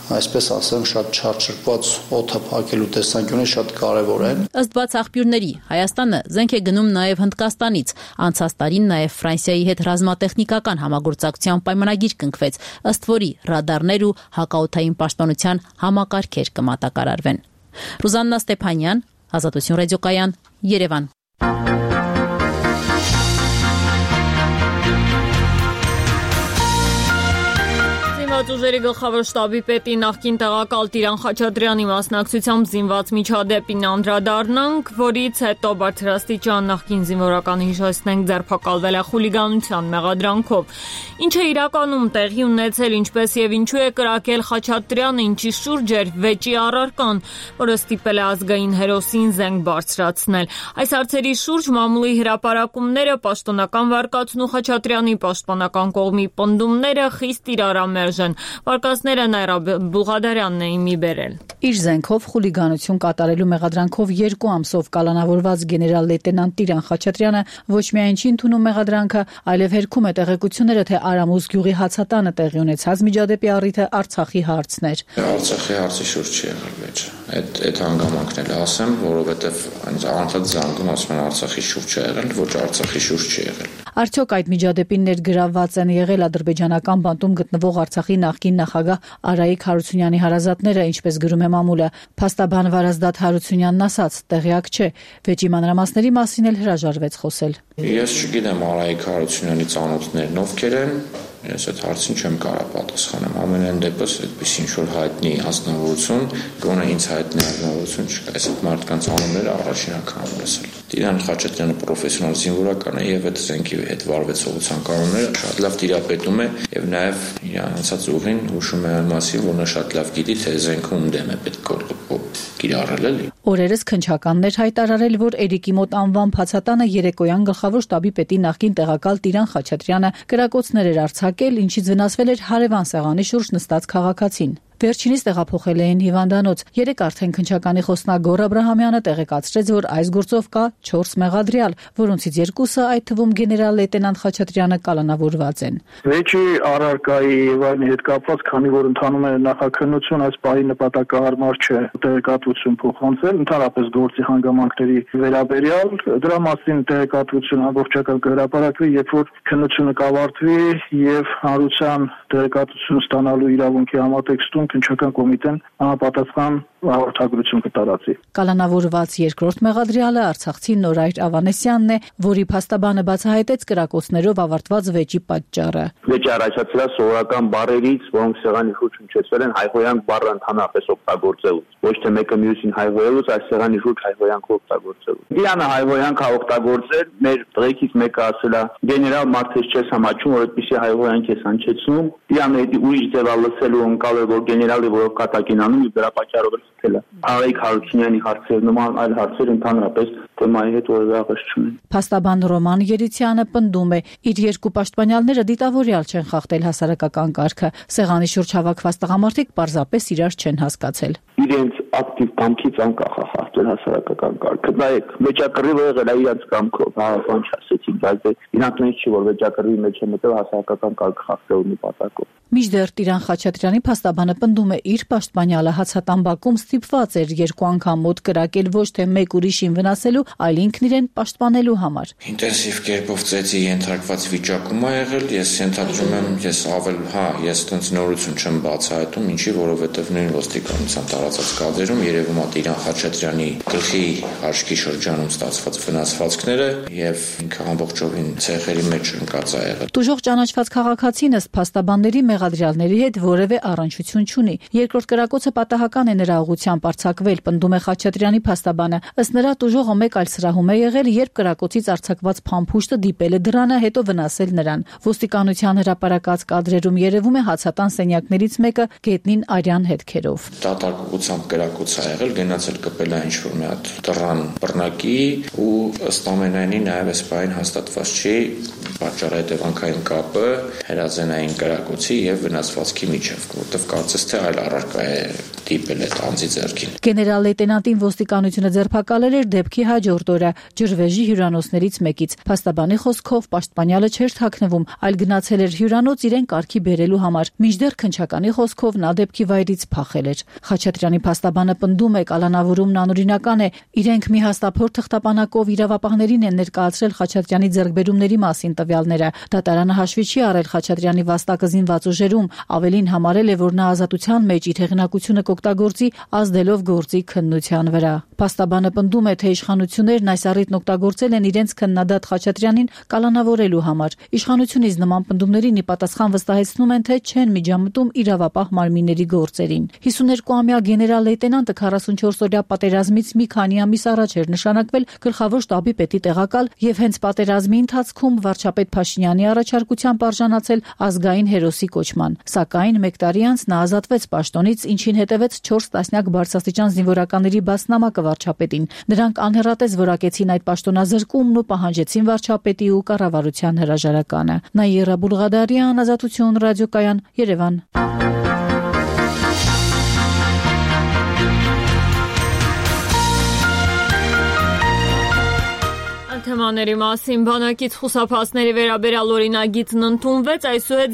այսպես ասեմ, շատ չարչրկված օդը փակելու տեսանկյունից շատ կարևոր են։ Ըստ բաց աղբյուրների, Հայաստանը զենք է գնում նաև Հնդկաստանից։ Անցած տարին նաև Ֆրանսիայի հետ ռազմատեխնիկական համագործակցության պայմանագիր կնքվեց, ըստ որի ռադարներ ու հակաօդային պաշտպանության համակարգեր կմատակարարվեն։ Ռուզաննա Ստեփանյան, Ազատություն ռադիոկայան, Երևան։ Ուժերի գլխավոր շտաբի պետի նախկին տեղակալ Տիրան Խաչատրյանի մասնակցությամբ զինված միջադեպին անդրադառնանք, որից հետո բարձրաստիճան նախկին զինվորականը հիշեցնենք ձերբակալվել է խուլիգանության մեղադրանքով։ Ինչ է իրականում տեղի ունեցել, ինչպես եւ ինչու է կրակել Խաչատրյանը, ինչի շուրջ էր վեճի առարկան, որը ստիպել է ազգային հերոսին զենք բարձրացնել։ Այս հարցերի շուրջ մամուլի հրապարակումները, պաշտոնական վարկածն ու Խաչատրյանի պաշտպանական կողմի պնդումները խիստ իրարամերժ են։ Վարկածները Նաիրա Բուղադարյանն է իմի բերել։ Իր զենքով խուլիգանություն կատարելու մեղադրանքով երկու ամսով կալանավորված գեներալ լեյտենանտ Տիրան Խաչատրյանը ոչ միայն չի ընդունում մեղադրանքը, այլև հերքում է տեղեկությունները, թե Արամուս գյուղի հացատանը տեղի ունեցած միջադեպի առիթը Արցախի հարցն էր։ Արցախի հարցի շուրջ չի եղել վեճը։ Այդ այդ հանգամանքն էլ ասեմ, որովհետև անդադ զանգում ասում են Արցախի շուրջ չի եղել, ոչ Արցախի շուրջ չի եղել։ Արդյոք այդ միջադեպին ներգրավված են եղել ադրբեջանական բանտում գտնվող Արցախի նախկին նախագահ Արայիկ Հարությունյանի հարազատները, ինչպես գրում է մամուլը։ Փաստաբան Վարազդատ Հարությունյանն ասաց, տեղյակ չէ, վեճի մանրամասների մասին էլ հրաժարվեց խոսել։ Ես չգիտեմ Արայիկ Հարությունյանի ծանոթներն ովքեր են, ես այդ հարցին չեմ կարող պատասխանել։ Ամենայն դեպս այդպես ինչ որ հայտնի անձնավորություն, գոնե ինձ հայտնի անձնավորություն չկա։ Այս մարդկանց անունները առաջին անգամ եմ լսել։ Տիրան Խաչատրյանը պրոֆեսիոնալ զինվորական է եւ այդ զենքի հետ վարվեցողության կանոնները շատ լավ տիրապետում է եւ նաեւ իր անցած ուղին հուշում է այն մասին, որ նա շատ լավ գիտի, թե զենքը ում դեմ է պետք կիրառել էլի։ Օրերս քնչականներ հայտարարել, որ Էրիկի մոտ անվան փացատանը երեկոյան գլխավոր շտաբի պետի նախկին տեղակալ Տիրան Խաչատրյանը կրակոցներ էր արձակել, ինչից վնասվել էր հարևան սեղանի շուրջ նստած քաղաքացին։ Վերջինիս տեղափոխել էին հիվանդանոց։ Երեք արդեն քննչականի խոսնակ Գոռ Աբրահամյանը տեղեկացրեց, որ այս գործով կա չորս մեղադրյալ, որոնցից երկուսը, այդ թվում գեներալ լեյտենանտ Խաչատրյանը, կալանավորված են։ Վեճի առարկայի եւ այն հետ կապված, քանի որ ընթանում է նախաքննություն, այս պահի նպատակահարմար չէ տեղեկատվություն փոխանցել, ընդհանրապես գործի հանգամանքների վերաբերյալ, դրա մասին տեղեկատվություն ամբողջական կհրապարակվի, երբ որ քննությունը կավարտվի եւ հանրության տեղեկատվություն ստանալու իրավունքի համատեքստում քննչական կոմիտեն համապատասխան հաղորդագրություն կտարածի։ Կալանավորված երկրորդ մեղադրյալը արցախցի Նորայր Ավանեսյանն է, որի փաստաբանը բացահայտեց կրակոցներով ավարտված վեճի պատճառը։ Վեճը առաջացել սովորական բառերից, որոնք սեղանի շուրջ հնչեցվել են հայհոյանք բառը ընդհանրապես օգտագործելուց, ոչ թե մեկը մյուսին հայհոյելուց, այս սեղանի շուրջ հայհոյանքը օգտագործելուց։ Դիանը հայհոյանք օգտագործել, մեր տղեկից մեկը ասել է. «Գեներալ, մարդես չես համաչում, որ այդպիսի հայհոյանք ես հնչեցնում»։ Դիանը դա ուրիշ ձևա լսելու ընկալ է, որ գեներալի որով կատակին անում եւ դրա պատճառով էլ Արայիկ Հարությունյանի հարցեր նման այլ հարցեր ընդհանրապես թեմայի հետ որևէ աղերս չունեն։ Փաստաբան Ռոման Երիցյանը պնդում է, իր երկու պաշտպանյալները դիտավորյալ չեն խախտել հասարակական կարգը։ Սեղանի շուրջ հավաքված տղամարդիկ պարզապես իրար չեն հասկացել։ Իրենց ակտիվ կամքից անկախ է խախտել հասարակական կարգը։ Նայեք, վեճակռիվը եղել է իրենց կամքով, հա, բան չասեցին, բայց իրանք նույնիսկ չի որ վեճակռիվի մեջ է մտել հասարակական կարգը խախտելու նպատակով։ Մինչդեռ Տիրան Խաչատրյանի փաստաբանը պնդում է, իր պաշտպանյալը հացատամբակում ստիպված էր երկու անգամ մոտ կրակել ոչ թե մեկ ուրիշին վնասելու, այլ ինքն իրեն պաշտպանելու համար։ Ինտենսիվ կերպով ծեծի ենթարկված վիճակում է եղել, ես ենթադրում եմ, ես ավել, հա, ես տենց նորություն չեմ բացահայտում, ինչի, որովհետև նույն ոստիկանության տարածած կադրերում երևում է Տիրան Խաչատրյանի գլխի աչքի շրջանում ստացված վնասվածքները եւ ինքը ամբողջովին ցեղերի մեջ ընկած է եղել։ Տուժող ճանաչված քաղաքացին ըստ փաստաբանների մեղադրյալների հետ որևէ առնչություն չունի։ Երկրորդ կրակոցը պատահական է նրա ուղղությամբ արձակվել, պնդում է Խաչատրյանի փաստաբանը։ Ըստ նրա տուժողը մեկ այլ սրահում է եղել, երբ կրակոցից արձակված փամփուշտը դիպել է դռանը, հետո վնասել նրան։ Ոստիկանության հրապարակած կադրերում երևում է հացատան սենյակներից մեկը գետնին արյան հետքերով։ Դատարկությամբ կրակոց է եղել, գնացել կպել է ինչ-որ մի հատ դռան բռնակի ու ըստ ամենայնի նաև այս բային հաստատված չի պատճառահետևանքային կապը հրազենային կրակոցի եւ վնասվածքի միջև, որտեղ կարծես թե այլ առարկա է դիպել այդ անձի ձեռքին։ Գեներալ լեյտենանտին ոստիկանությունը ձերբակալել էր դեպքի հաջորդ օրը Ջրվեժի հյուրանոցներից մեկից։ Փաստաբանի խոսքով պաշտպանյալը չէր թաքնվում, այլ գնացել էր հյուրանոց իրեն կարգի բերելու համար։ Մինչդեռ քննչականի խոսքով նա դեպքի վայրից փախել էր։ Խաչատրյանի փաստաբանը պնդում է, կալանավորումն անօրինական է։ Իրենք մի հաստափոր թղթապանակով իրավապահներին են ներկայացրել Խաչատրյանի ձեռքբերումների մասին տվյալները։ Դատարանը հաշվի չի առել Խաչատրյանի վաստակը զինված ուժերում, ավելին համարել է, որ նա ազատության մեջ իր հեղինակությունը կօգտագործի ազդելով գործի քննության վրա։ Փաստաբանը պնդում է, թե իշխանություններն այս առիթն օգտագործել են իրենց քննադատ Խաչատրյանին կալանավորելու համար։ Իշխանությունից նման պնդումներին ի պատասխան վստահեցնում են, թե չեն միջամտում իրավապահ մարմինների գործերին։ հիսուներկուամյա գեներալ լեյտենանտը քառասունչորս օրյա պատերազմից մի քանի ամիս առաջ էր նշանակվել գլխավոր շտաբի պետի տեղակալ եւ հենց պատերազմի ընթացքում վարչապետ Փաշինյանի առաջարկությամբ արժանացել ազգային հերոսի կոչման։ Սակայն մեկ տարի անց նա ազատվեց պաշտոնից, ինչին հետևեց չորս տասնյակ բարձրաստիճան զինվորականների բացնամակը վարչապետին։ Նրանք անհեռատես որակեցին այդ պաշտոնազրկումն ու պահանջեցին վարչապետի ու կառավարության հրաժարականը։ Նաիրա Բուլղադարյան, Ազատություն ռադիոկայան, Երևան։ Թեմաների մասին բանակից խուսափածների վերաբերյալ օրինագիծն ընդունվեց, այսուհետ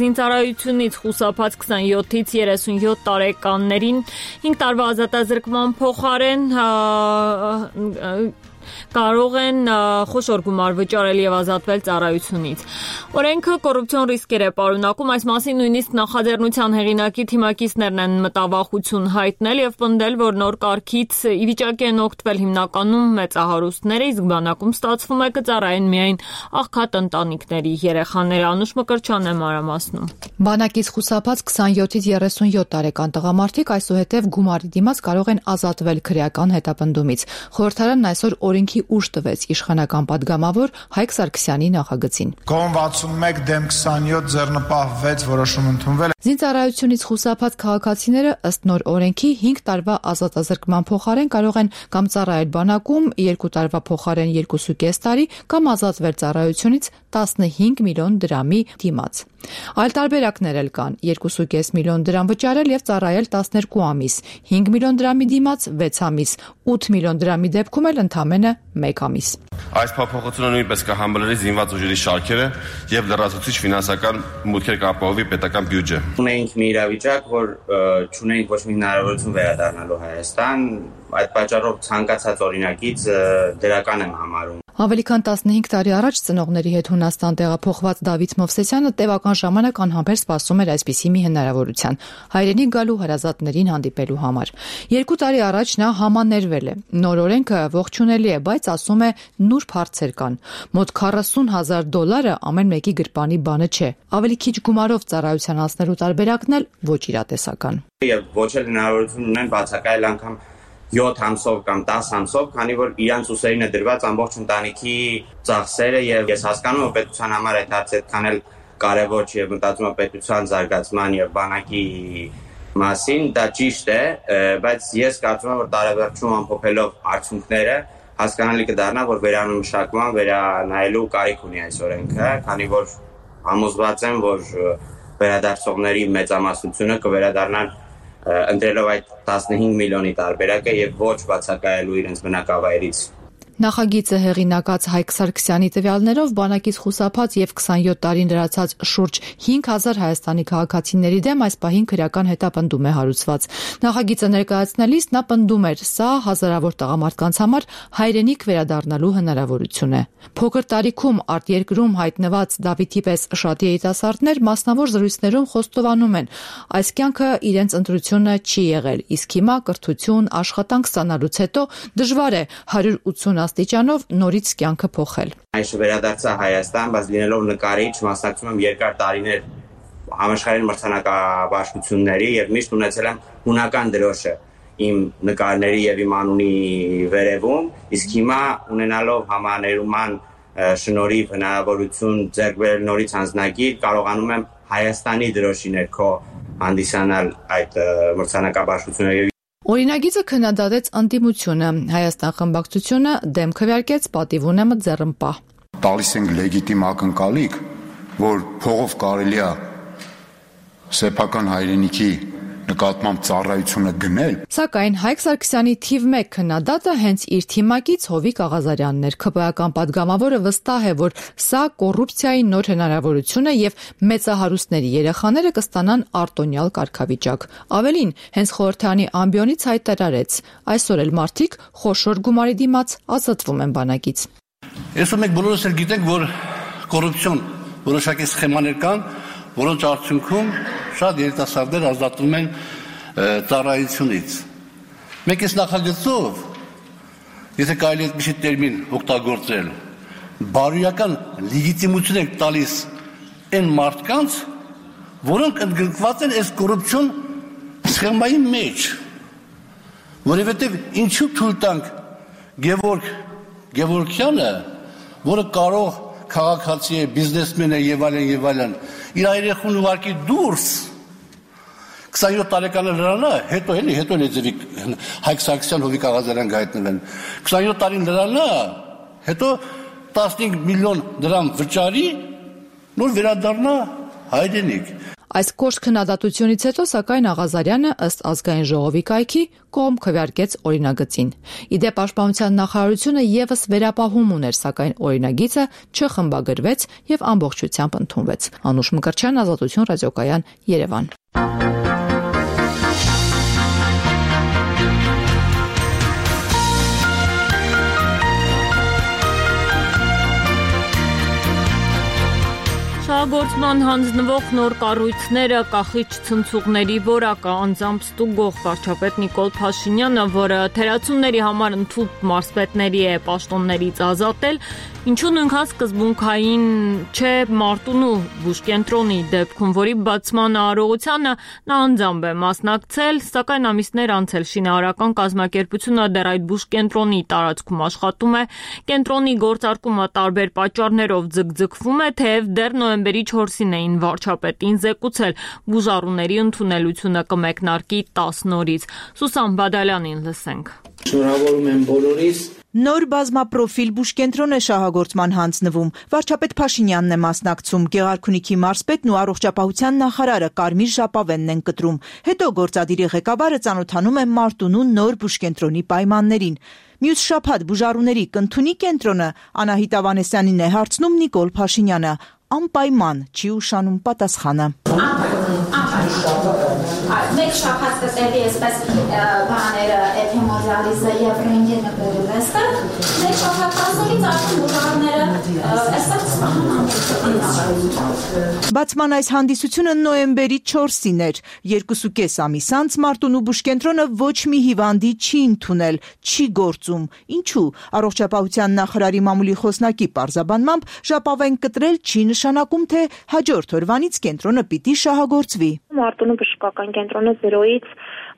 զինծառայությունից խուսափած քսանյոթից երեսունյոթ տարեկաններին հինգ տարվա ազատազրկման փոխարեն կարող են խոշոր գումար վճարել եւ ազատվել ծառայությունից։ Օրենքը կոռուպցիոն ռիսկեր է պարունակում, այս մասին նույնիսկ նախաձեռնության հեղինակի թիմակիցներն են մտավախություն հայտնել եւ պնդել, որ նոր կարգից ի վիճակի են օգտվել հիմնականում մեծահարուստները, իսկ բանակում ստացվում է կծառայեն միայն աղքատ ընտանիքների երեխաները։ Անուշ Մկրտչյանն է մանրամասնում։ Բանակից խուսափած քսանյոթից երեսունյոթ տարեկան տղամարդիկ այսուհետև գումարի դիմաց կարող են ազատվել քրեական հետապնդումից։ Խորհրդարանն այսօր օրինակ օրենքի ուժ տվեց իշխանական падգամավոր Հայկ Սարգսյանի նախագծին։ Կողմ վաթսունմեկ դեմ քսանյոթ ձեռնպահ վեց որոշում ընդունվել է։ Զինծառայությունից խուսափած քաղաքացիները ըստ նոր օրենքի հինգ տարվա ազատազրկման փոխարեն կարող են կամ ծառայել բանակում երկու տարվա փոխարեն երկուսուկես տարի կամ ազատվել ծառայությունից տասնհինգ միլիոն դրամի դիմաց։ Այլ տարբերակներ էլ կան՝ երկուսուկես միլիոն դրամ վճարել եւ ծառայել տասներկու ամիս, հինգ միլիոն դրամի դիմաց վեց ամիս, ութ միլիոն դրամի դեպքում էլ ընդամենը մեկ ամիս։ Այս փոփոխությունը նույնպես կհամբերի զինված ուժերի շարքերը եւ լրացուցիչ ֆինանսական մուտքեր կապահովի պետական բյուջե։ Ունենք մի իրավիճակ, որ չունենք ոչ մի հնարավորություն վերադառնալու Հայաստան, այդ պատճառով ցանկացած օրինակից դրական եմ համարում։ Ավելի քան տասնհինգ տարի առաջ ծնողների հետ Հունաստան տեղափոխված Դավիթ Մովսեսյանը տևական ժամանակ անհամբեր սպասում էր այսպիսի մի հնարավորության՝ հայրենիք գալու հարազատներին հանդիպելու համար։ Երկու տարի առաջ նա համաներվել է։ Նոր օրենքը ողջունելի է, բայց ասում է նուրբ հարցեր կան։ Մոտ քառասուն հազար դոլարը ամեն մեկի գրպանի բանը չէ։ Ավելի քիչ գումարով ծառայության անցնելու տարբերակն էլ ոչ իրատեսական։ Եվ ոչ էլ հնարավորություն ունեն բացակայել անգամ յոթ ամսով կամ դաս ամսով, քանի որ իրանց ուսերին է դրված ամբողջ ընտանիքի ծախսերը եւ ես հասկանում եմ պետության համար այդ հարցը այդքան էլ կարեւոր չի եւ մտածում եմ պետության զարգացման եւ բանակի մասին, դա ճիշտ է, բայց ես կարծում եմ որ տարեվերջում ամփոփելով արդյունքները հասկանալի կդառնա, որ վերանմշակման, վերանայելու կարիք ունի այս օրենքը, քանի որ համոզված եմ, որ վերադարձողների մեծամասնությունը կվերադառնան ընտրելով այդ տասնհինգ միլիոնի տարբերակը եւ ոչ բացակայելու իրենց բնակավայրից։ Նախագիծը հեղինակած Հայկ Սարգսյանի տվյալներով բանակից խուսափած եւ քսանյոթ տարին լրացած շուրջ հինգ հազար Հայաստանի քաղաքացիների դեմ այս պահին քրեական հետապնդում է հարուցված։ Նախագիծը ներկայացնելիս նա պնդում էր, սա հազարավոր տղամարդկանց համար հայրենիք վերադառնալու հնարավորություն է։ Փոքր տարիքում արտերկրում հայտնված Դավիթի պես շատ երիտասարդներ մասնավոր զրույցներում խոստովանում են, այս կյանքը իրենց ընտրությունը չի եղել, իսկ հիմա կրթություն, աշխատանք ստանալուց հետո դժվար է հարյուր ութսուն աստիճանով նորից կյանքը փոխել։ Այս վերադարձա Հայաստան, բայց լինելով նկարիչ, մասնակցում եմ երկար տարիներ համաշխարհային մրցանակաբաշխությունների եւ միշտ ունեցել եմ հունական դրոշը իմ նկարների եւ իմ անունի վերևում, իսկ հիմա ունենալով համաներուման շնորհիվ հնարավորություն ձեռք բերել նորից անձնագիր, կարողանում եմ Հայաստանի դրոշի ներքո հանդիսանալ այդ մրցանակաբաշխությունները։ Օրինագիծը քննադատեց անդիմությունը, Հայաստան խմբակցությունը դեմ քվեարկեց պատիվունեմը ձեռնպահ։ Տալիս ենք լեգիտիմ ակնկալիք, որ փողով կարելի է սեփական հայրենիքի նկատմամբ ծառայությունը գնել։ Սակայն Հայկ Սարգսյանի թիվ մեկ քննադատը հենց իր թիմակից Հովիկ Աղազարյանն էր։ ՔՊԱ-ական падգամավորը վստահ է, որ սա կոռուպցիայի նոր հնարավորություն է եւ մեծահարուստների երեխաները կստանան արտոնյալ կարգավիճակ։ Ավելին, հենց խորհրդանի ամբիոնից հայտարարեց. այսօր էլ մարդիկ խոշոր գումարի դիմաց ազատվում են բանակից։ Այսօր մենք բոլորս էլ գիտենք, որ կոռուպցիոն որոշակի սխեմաներ կան, որոնց արդյունքում շատ երիտասարդներ ազատվում են ծառայությունից։ Մենք այս նախագծով, եթե կարելի է այդպիսի տերմին օգտագործել, բարոյական լեգիտիմություն ենք տալիս այն մարդկանց, որոնք ընդգրկված են այս կոռուպցիոն սխեմայի մեջ, որովհետև ինչու թույլ տանք Գևորգ Գևորգյանը, որը կարող քաղաքացի է, բիզնեսմեն է եւ այլն եւ այլն, իր երեխուն ուղարկի դուրս քսանյոթ տարեկանը լրանա, հետո էլի, հետո լեզվի Հայկ Սարգսյան, Հովիկ Աղազարյան գայտնվեն։ քսանյոթ տարին լրանա, հետո տասնհինգ միլիոն դրամ վճարի, նոր վերադառնա հայրենիք։ Այս կոշտ քննադատությունից հետո սակայն Աղազարյանը ըստ ազգային ժողովի կայքի կողմ քվեարկեց օրինագծին։ Իդեպ Պաշտպանության նախարարությունը եւս վերապահում ուներ, սակայն օրինագիծը չխմբագրվեց եւ ամբողջությամբ ընդունվեց։ Անուշ Մկրտչյան, Ազատություն ռադիոկայան, Երևան։ Շահագործման հանձնվող նոր կառույցները կախիչ ցնցուղների որակը անձամբ ստուգող վարչապետ Նիկոլ Փաշինյանը, որը թերացումների համար ընդհանուր մարզպետների է պաշտոններից ազատել, ինչու նույնքան սկզբունքային չէ Մարտունու բուժկենտրոնի դեպքում, որի բացման արարողությանը նա անձամբ է մասնակցել, սակայն ամիսներ անց էլ շինարարական կազմակերպությունը դեռ այդ բուժկենտրոնի տարածքում աշխատում է, կենտրոնի գործարկումը տարբեր պատճառներով ձգձգվում է, թեև դեռ նոյեմբերի չորսին էին վարչապետին զեկուցել բուժառուների ընդունելությունը կմեկնարկի տասն օրից։ Սուսան Բադալյանին լսենք։ Շնորհավորում եմ բոլորիս։ Նոր բազմապրոֆիլ բուժկենտրոն է շահագործման հանձնվում։ Վարչապետ Փաշինյանն է մասնակցում, Գեղարքունիքի մարզպետն ու առողջապահության նախարարը Կարմիր ժապավենն են կտրում։ Հետո գործադիրի ղեկավարը ծանոթանում է Մարտունու նոր բուժկենտրոնի պայմաններին։ Մյուս շաբաթ բուժառուների կընդունի կենտրոնը Անահիտ Ավանեսյանին է հարցնում Նիկոլ Փաշինյանը։ Անպայման չի ուշանում պատասխանը։ Մեկ շաբաթ կտեղի այսպես բաները էփեմոդիալիզը եւ ռենտգենը բերել այստեղ, մեկ շաբաթ տասնից արդեն բուժառուները այստեղ ստանում։ Բացման այս հանդիսությունը նոյեմբերի չորսին էր։ Երկուսուկես ամիս անց Մարտունու բուժկենտրոնը ոչ մի հիվանդի չի ընդունել, չի գործում։ Ինչու՞։ Առողջապահության նախարարի մամուլի խոսնակի պարզաբանմամբ ժապավեն կտրել չի նշանակում, թե հաջորդ օրվանից կենտրոնը պիտի շահագործվի։ Մարտունու բժշկական կենտրոնը զրոյից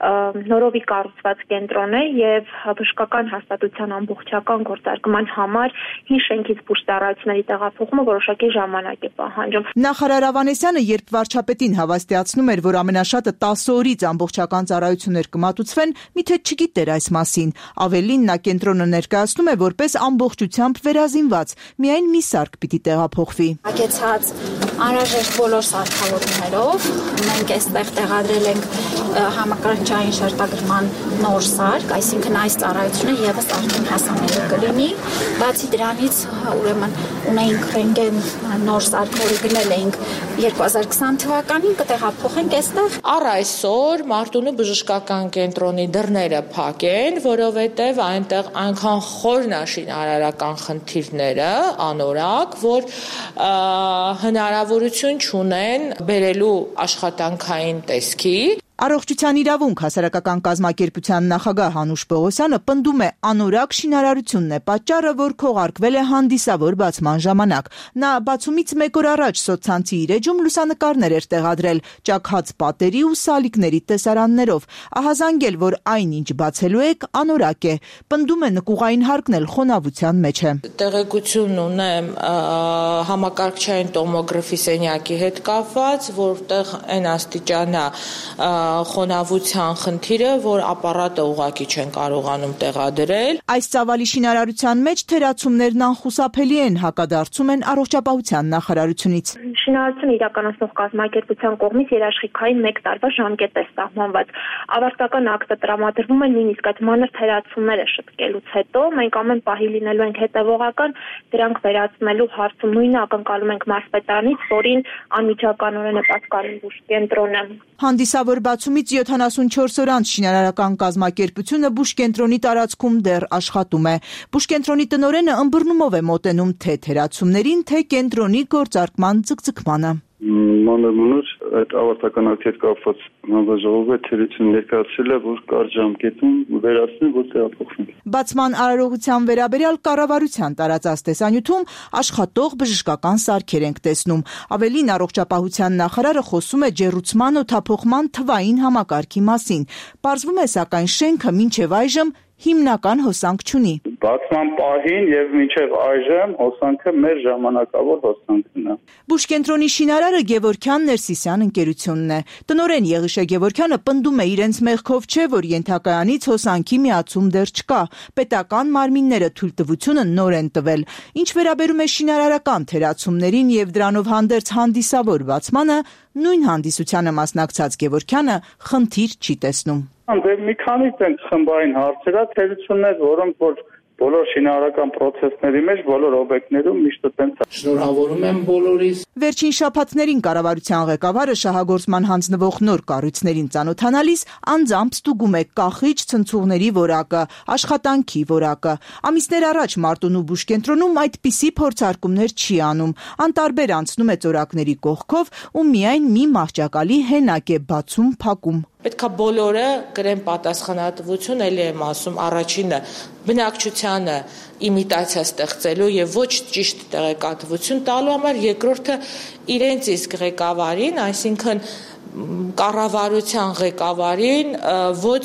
նորովի կառուցված կենտրոն է եւ բժշկական հաստատության ամբողջական գործարկման համար հին շենքից բուժտարայությունների տեղափոխումը որոշակի ժամանակ է պահանջում։ Նախարար Ավանեսյանը, երբ վարչապետին հավաստիացնում էր, որ ամենաշատը տասը օրից ամբողջական ծառայություններ կմատուցվեն, միթե չգիտեր այս մասին։ Ավելին, նա կենտրոնը ներկայացնում է որպես ամբողջությամբ վերազինված, միայն մի սարք պիտի տեղափոխվի։ Ակեցած անհրաժեշտ բոլոր սարքավորումներով մենք այստեղ տեղադրել ենք համակարգչային շերտագրման նոր սարք, այսինքն այս ծառայությունը եւս արդեն հասանելի կլինի։ Բացի դրանից, ուրեմն ունենք ռենտգեն նոր սարք, որը գնել էինք երկու հազար քսան թվականին, կտեղափոխենք այստեղ։ Առ այսօր Մարտունու բժշկական կենտրոնի դռները փակ են, որովհետեւ այնտեղ այնքան խորն է շինարարական խնդիրները, անորակ, որ հնարավորություն չունեն բերելու աշխատանքային տեսքի։ Առողջության իրավունք հասարակական կազմակերպության նախագահ Հանուշ Պողոսյանը պնդում է անորակ շինարարությունն է պատճառը, որ քողարկվել է հանդիսավոր բացման ժամանակ։ Նա բացումից մեկ օր առաջ սոցցանցի իր էջում լուսանկարներ էր տեղադրել ճաքած պատերի ու սալիկների տեսարաններով, ահազանգել, որ այնինչ բացելու եք անորակ է։ Պնդում է նկուղային հարկն էլ խոնավության մեջ է։ Տեղեկություն ունեմ համակարգչային տոմոգրաֆի սենյակի հետ կապված, որտեղ այն աստիճանա խոնավության խնդիրը, որ ապարատը ուղղակի չեն կարողանում տեղադրել։ Այս ծավալի շինարարության մեջ թերացումներն անխուսափելի են, հակադարձում են առողջապահության նախարարությունից։ Շինարարությունը իրականացնող կազմակերպության կողմից երաշխիքային մեկ տարվա ժամկետ է սահմանված։ Ավարտական ակտը տրամադրվում է նույնիսկ այդ մանր թերացումները շտկելուց հետո։ Մենք ամեն պահի լինելու ենք հետևողական, դրանք վերացնելու հարցում նույնը ակնկալում ենք մարզպետարանից, որին անմիջականորեն է պատկանում բուժկենտրոնը։ Հանդիսավոր բացումից յոթանասունչորս օր անց շինարարական կազմակերպությունը բուժկենտրոնի տարածքում դեռ աշխատում է։ Բուժկենտրոնի տնօրենը ըմբռնումով է մոտենում թե թերացումներին, թե կենտրոնի գործարկման ձգձգմանը։ Մանրամունուց այդ ավարտական ակտի հետ կապված հանձնաժողովը թերություն ներկայացրել է, որ կարճ ժամկետում վերացնի, որ տեղափոխվի։ Բացման արարողության վերաբերյալ կառավարության տարածած տեսանյութում աշխատող բժշկական սարքեր ենք տեսնում։ Ավելին, առողջապահության նախարարը խոսում է ջեռուցման օդափոխման թվային համակարգի մասին։ Պարզվում է, սակայն շենքը մինչև այժմ հիմնական հոսանք չունի։ Բացման պահին եւ մինչեւ այժմ հոսանքը մեր ժամանակավոր հոսանքն է։ Բուժկենտրոնի շինարարը Գևորգյան Ներսիսյան ընկերությունն է։ Տնօրեն Եղիշե Գևորգյանը պնդում է իրենց մեղքով չէ, որ ենթակայանից հոսանքի միացում դեռ չկա։ Պետական մարմինները թույլտվությունը նոր են տվել։ Ինչ վերաբերում է շինարարական թերացումներին եւ դրանով հանդերձ հանդիսավոր բացմանը, նույն հանդիսությանը մասնակցած Գևորգյանը խնդիր չի տեսնում։ Դե մի քանի տենց խմբային հարցեր ա, թերություններ, որոնք որ բոլոր շինարարական process-ների մեջ, բոլոր օբյեկտներում միշտ տենց է։ Շնորհավորում եմ բոլորիս։ Վերջին շաբաթներին կառավարության ղեկավարը շահագործման հանձնվող նոր կառույցներին ծանոթանալիս անձամբ ստուգում է կախիչ ցնցուղների որակը, աշխատանքի որակը։ Ամիսներ առաջ Մարտունու բուժկենտրոնում այդպիսի փորձարկումներ չի անում, անտարբեր անցնում է ծորակների կողքով ու միայն մի մահճակալի հենակ է բացում փակում։ Պետք է բոլորը գրեն պատասխանատվություն, ելի եմ ասում, առաջինը բնակչությանը իմիտացիա ստեղծելու եւ ոչ ճիշտ տեղեկատվություն տալու համար, երկրորդը իրենց իսկ ղեկավարին, այսինքն կառավարության ղեկավարին ոչ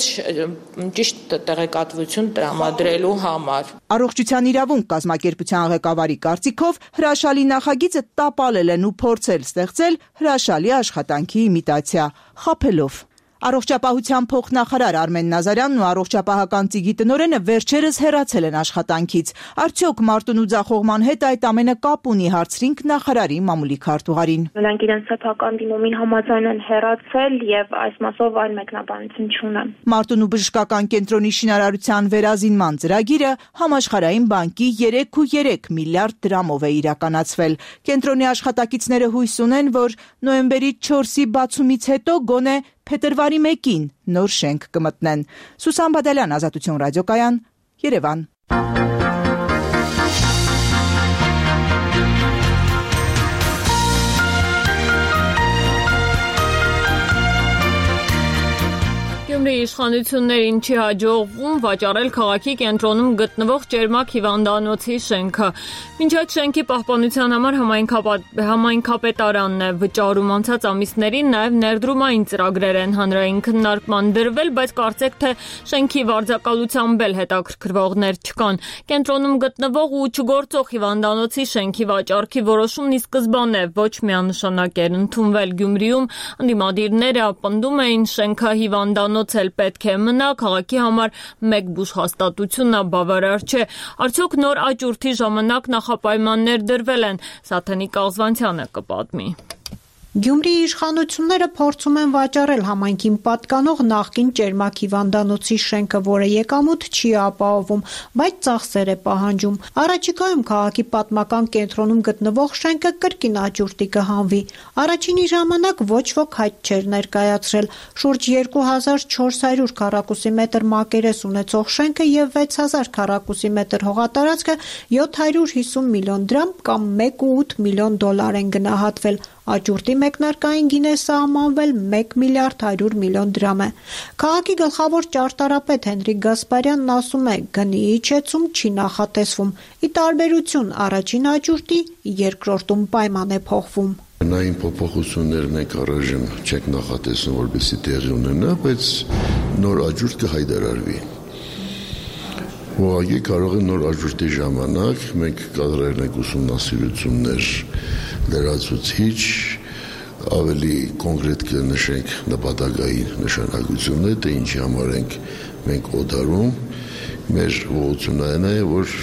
ճիշտ տեղեկատվություն տրամադրելու համար։ Առողջության իրավունք կազմակերպության ղեկավարի կարծիքով հրաշալի նախագիծը տապալել են ու փորձել ստեղծել հրաշալի աշխատանքի իմիտացիա, խաբելով։ Առողջապահության փոխնախարար Արմեն Նազարյանն ու առողջապահական ծիգի տնօրենը վերջերս հեռացել են աշխատանքից։ Արդյոք Մարտունու ձախողման հետ այդ ամենը կապ ունի, հարցրինք նախարարի մամուլի քարտուղարին։ Նրանք իրենց սեփական դիմումին համաձայն են հեռացել եւ այս մասով այն մեկնաբանություն չունեն։ Մարտունու բժշկական կենտրոնի շինարարության վերազինման ծրագիրը համաշխարհային բանկի երեք ու երեք միլիարդ դրամով է իրականացվել։ Կենտրոնի աշխատակիցները հույս ունեն, որ նոյեմբերի չորսի բացումից հետո գոնե փետրվարի մեկին նոր շենք կմտնեն։ Սուսան Բադալյան, Ազատություն ռադիոկայան, Երևան։ Գյումրիի իշխանություններին չի հաջողվում վաճառել քաղաքի կենտրոնում գտնվող Ճերմակ հիվանդանոցի շենքը։ Մինչ այդ շենքի պահպանության համար համայնքապետարանն է վճարում, անցած ամիսներին նաև ներդրումային ծրագրեր են հանրային քննարկման դրվել, բայց կարծեք թե շենքի վարձակալությամբ էլ հետաքրքրվողներ չկան։ Կենտրոնում գտնվող ու չգործող հիվանդանոցի շենքի վաճառքի որոշումն ի սկզբանե ոչ միանշանակ էր ընդունվել Գյումրիում, ընդդիմադիրները պնդում էին շենքը հիվանդանոց էլ պետք է մնա, քաղաքի համար մեկ բուժ հաստատությունն բավարար չէ։ Արդյոք նոր աճուրդի ժամանակ նախապայմաններ դրվել են, Սաթենիկ Աղզվանցյանը կպատմի։ Գյումրիի իշխանությունները փորձում են վաճառել համայնքին պատկանող նախկին Ճերմակ հիվանդանոցի շենքը, որը եկամուտ չի ապահովում, բայց ծախսեր է պահանջում։ Առաջիկայում քաղաքի պատմական կենտրոնում գտնվող շենքը կրկին աճուրդի կհանվի։ Առաջինի ժամանակ ոչ ոք հայտ չէր ներկայացրել։ Շուրջ երկու հազար չորս հարյուր քառակուսի մետր մակերես ունեցող շենքը եւ վեց հազար քառակուսի մետր հողատարածքը յոթ հարյուր հիսուն միլիոն դրամ կամ մեկ կόμμα ութ միլիոն դոլար են գնահատվել։ Աճուրդի մեկնարկային գինը սահմանվել մեկ միլիարդ հարյուր միլիոն դրամ է։ Քաղաքի գլխավոր ճարտարապետ Հենրիկ Գասպարյանն ասում է, գնի իջեցում չի նախատեսվում։ Ի տարբերություն առաջին աճուրդի, երկրորդում պայման է փոխվում։ Նային փոփոխություններն են առայժմ չեք նախատեսում, որպեսզի տեղի ունենա, բայց նոր աճուրդ կհայտարարվի։ Ուղղակի կարող է նոր աճուրդի ժամանակ մենք կատարել ենք ուսումնասիրություններ լրացուցիչ, ավելի կոնկրետ կնշենք նպատակային նշանակություններ, թե ինչի համար ենք մենք օդարում, մեր ուղղությունն է, որ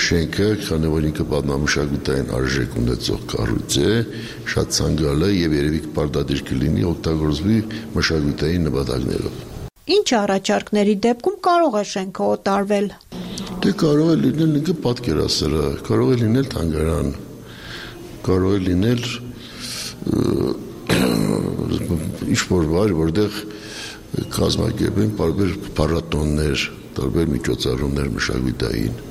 շենքը, քանի որ ինքը պատմամշակութային արժեք ունեցող կառույց է, շատ ցանկալի է եւ երևի պարտադիր կլինի օգտագործվի մշակութային նպատակներով։ Ինչ առաջարկների դեպքում կարող է շենքը օտարվել։ Դե կարող է լինել ինքը պատկերասրահ, կարող է լինել թանգարան, կարող է լինել ինչ-որ վայր, որտեղ կազմակերպեն տարբեր փառատոներ, տարբեր միջոցառումներ մշակութային։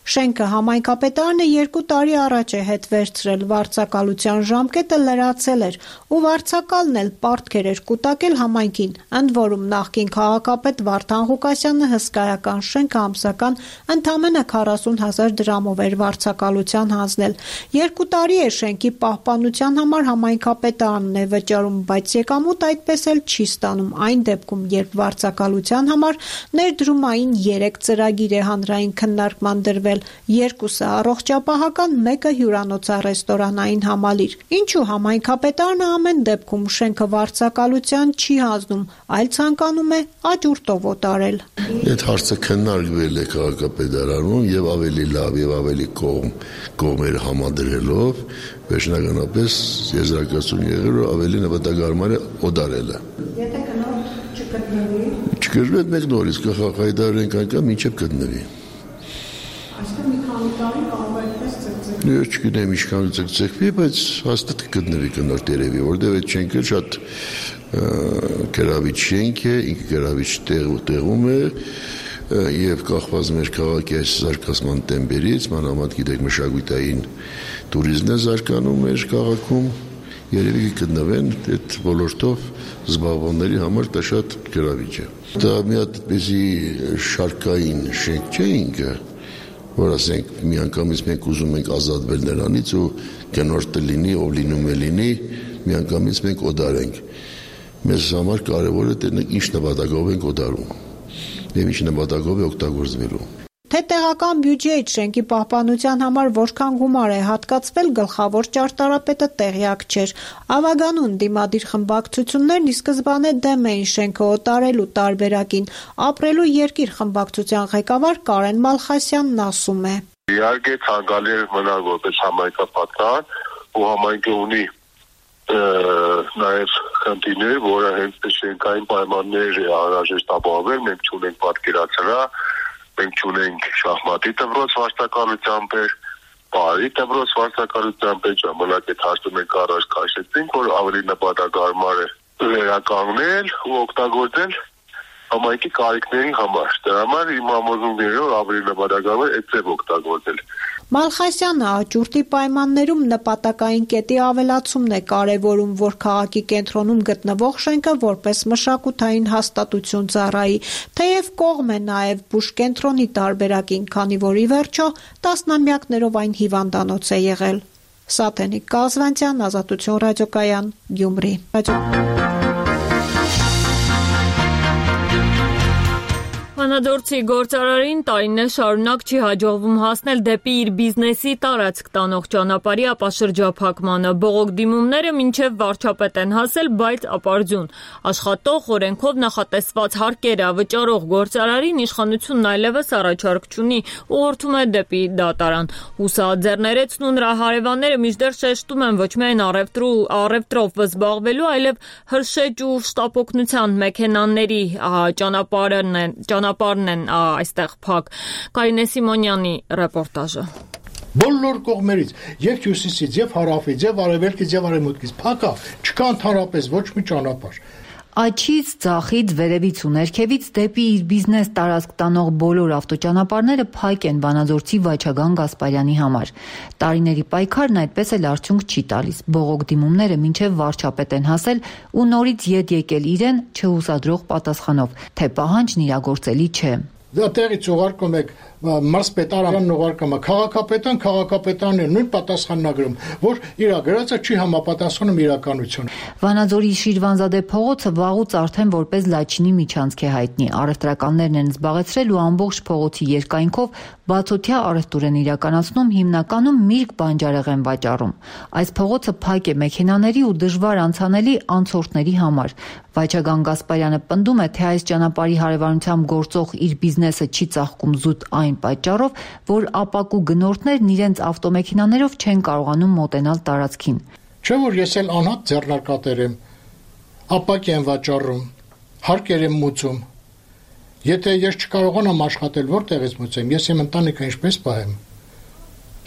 Շենքը համայնքապետարանը երկու տարի առաջ է հետ վերցրել, վարձակալության ժամկետը լրացել էր ու վարձակալն էլ պարտքեր էր կուտակել համայնքին, ընդ որում նախկին քաղաքապետ Վարդան Ղուկասյանը հսկայական շենքը ամսական ընդամենը քառասուն հազար դրամով էր վարձակալության հանձնել։ Երկու տարի է շենքի պահպանության համար համայնքապետարանն է վճարում, բայց եկամուտ այդպես էլ չի ստանում այն դեպքում, երբ վարձակալության համար ներդրումային երեք ծրագիր է հանրային քննարկման դրվել, երկուսը առողջապահական, մեկը հյուրանոց-ռեստորանային համալիր։ Ինչու համայնքապետարանը ամեն դեպքում շենքը վարձակալության չի հանձնում, այլ ցանկանում է աճուրդով օտարել։ Այդ հարցը քննարկվել է քաղաքապետարանում եւ ավելի լավ եւ ավելի կողմ կողմեր համադրելով վերջնականապես եզրակացություն եղել որ ավելի նպատակարար է օտարելը։ Եթե գնոց չգտնվի։ Չգտնվի մեկ նորից կհայտարարենք անգամ ինչեւ գտնվի։ Ես չգիտեմ ինչքան ցկցկվի, բայց հաստատ կգտնվի կնորդ երևի, որտեղ այդ շենքը շատ գրավիչ շենք է, ինքը գրավիչ տեղում է եւ կախված մեր քաղաքի այս զարգացման տեմպերից, մանավանդ գիտեք մշակութային տուրիզմն է զարգանում մեր քաղաքում, երևի կգտնվեն այդ ոլորտով զբաղվողների համար դա շատ գրավիչ է։ Դա մի հատ այդպեսի շարքային շենք չէ ինքը, որ ասենք միանգամից մենք ուզում ենք ազատվել նրանից ու գնորդը լինի, ով լինում է լինի, միանգամից մենք օդարենք։ Մեզ համար կարևոր է թե ինչ նպատակով ենք օդարում եւ ինչ նպատակով է օգտագործվելու։ Թե տեղական բյուջեից շենքի պահպանության համար որքան գումար է հատկացվել, գլխավոր ճարտարապետը տեղյակ չէր։ Ավագանուն դիմադիր խմբակցություններն ի սկզբանե դեմ էին շենքը օտարելու տարբերակին։ Ապրելու երկիր խմբակցության ղեկավար Կարեն Մալխասյանն ասում է. Իհարկե ցանկալի է մնալ որպես համայնքապատկան ու համայնքը ունի նաև խնդիրներ, որը հենց շենքային պայմաններ է անհրաժեշտ ապահովել, մենք չունենք պատկերացրահ, մենք չունենք շախմատի դպրոց վարչականության պետ, բարի դպրոց վարչականության պետ, ժամանակ այդ հարցը մենք առաջ քաշեցինք, որ ավելի նպատակարար է վերականգնել ու օգտագործել համայնքի կարիքների համար։ Դրա համար իմ համոզումներով ավելի նպատակարար է այդ օգտագործել։ Մալխասյանը աճուրդի պայմաններում նպատակային կետի ավելացումն է կարևորում, որ քաղաքի կենտրոնում գտնվող շենքը որպես մշակութային հաստատություն ծառայի, թեև կողմ է նաև բուժ կենտրոնի տարբերակին, քանի որ ի վերջո տասնամյակներով այն հիվանդանոց է եղել։ Սաթենիկ Կազվանցյան, Ազատություն ռադիոկայան, Գյումրի։ Վանաձորցի գործարարին տարիներ շարունակ չի հաջողվում հասնել դեպի իր բիզնեսի տարածք տանող ճանապարհի ապաշրջափակմանը։ Բողոք դիմումները մինչև վարչապետ են հասել, բայց ապարդյուն։ Աշխատող օրենքով նախատեսված հարկերը վճարող գործարարին իշխանությունն այլևս առաջարկ չունի, ուղղորդում է դեպի դատարան։ Հուսաձեռներեցն ու նրա հարևանները մինչդեռ շեշտում են ոչ միայն առևտրով զբաղվելու, այլև հրշեջ ու շտապօգնության մեքենաների ճանապարհն են ճանապարհն են այստեղ փակ։ Կարինե Սիմոնյանի ռեպորտաժը։ Բոլոր կողմերից, եւ հյուսիսից, եւ հարավից, եւ արևելքից, եւ արևմուտքից փակա, չկա ընդհանրապես ոչ մի ճանապարհ։ Աչից, ձախից, վերևից ու ներքևից դեպի իր բիզնես տարածք տանող բոլոր ավտոճանապարհները փակ են Վանաձորցի Վաչագան Գասպարյանի համար։ Տարիների պայքարն այդպես էլ արդյունք չի տալիս։ Բողոք դիմումները մինչև վարչապետ են հասել ու նորից ետ եկել իրեն չհուսադրող պատասխանով, թե պահանջն իրագործելի չէ։ Դա տեղից ուղարկում եք մարզպետարանն ուղարկում է քաղաքապետան, քաղաքապետանն է նույն պատասխաննագրում, որ իր գրածը չի համապատասխանում իրականություն։ Վանաձորի Շիրվանզադե փողոցը վաղուց արդեն որպես Լաչինի միջանցք է հայտնի։ Առևտրականներն են զբաղեցրել ու ամբողջ փողոցի երկայնքով բացօթյա առևտուր են իրականացնում, հիմնականում միրգ բանջարեղեն վաճառում։ Այս փողոցը փակ է մեքենաների ու դժվար անցանելի անցորդների համար։ Վաչագան Գասպարյանը պնդում է, թե այս ճանապարհի հարևանությամբ գործող իր բիզնեսը չի ծաղկում զուտ այն պատճառով, որ ապակու գնորդներն իրենց ավտոմեքենաներով չեն կարողանում մոտենալ տարածքին։ Չէ՞ որ ես էլ անհատ ձեռնարկատեր եմ, ապակ եմ վաճառում, հարկեր եմ մուծում։ Եթե ես չկարողանամ աշխատել, որտեղից մուծեմ, ես իմ ընտանիքը ինչպես պահեմ։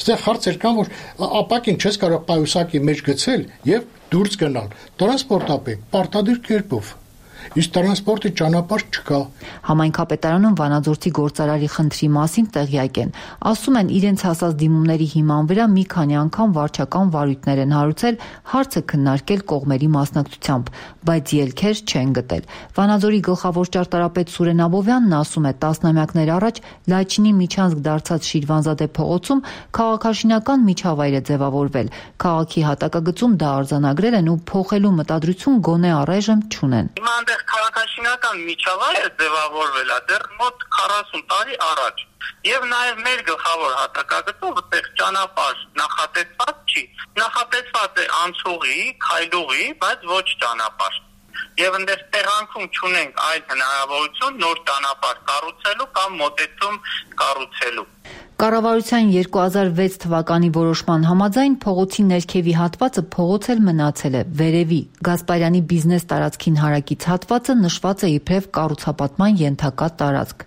Այստեղ հարցեր կան, որ ապակին չես կարող պայուսակի մեջ գցել եւ դուրս գնալ։ Տրանսպորտապետ պարտադիր կերպով։ Իսկ տրանսպորտի ճանապարհ չկա։ Համայնքապետարանում Վանաձորցի գործարարի խնդրի մասին տեղյակ են։ Ասում են, իրենց հասած դիմումների հիման վրա մի քանի անգամ վարչական վարույթներ են հարուցել, հարցը քննարկել կողմերի մասնակցությամբ, բայց ելքեր չեն գտել։ Վանաձորի գլխավոր ճարտարապետ Սուրեն Աբովյանն ասում է, տասնամյակներ առաջ Լաչինի միջանցք դարձած Շիրվանզադե փողոցում քաղաքաշինական միջավայր է ձևավորվել։ Քաղաքի հատակագծում դա արձանագրել են ու փոխելու մտադրություն գոնե առայժմ չունեն։ Քաղաքաշինական միջավայրը ձևավորվել է դեռ մոտ քառասուն տարի առաջ եւ նաեւ մեր գլխավոր հատակագծով այդտեղ ճանապարհ նախատեսված չի, նախատեսված է անցուղի, քայլուղի, բայց ոչ ճանապարհ եւ այնտեղ տեղանքում չունենք այլ հնարավորություն նոր ճանապարհ կառուցելու կամ մոտեցում կառուցելու։ Կառավարության երկու հազար վեց թվականի որոշման համաձայն փողոցի ներքևի հատվածը փողոց էլ մնացել է, վերևի Գասպարյանի բիզնես տարածքին հարակից հատվածը նշված է իբրև կառուցապատման ենթակա տարածք։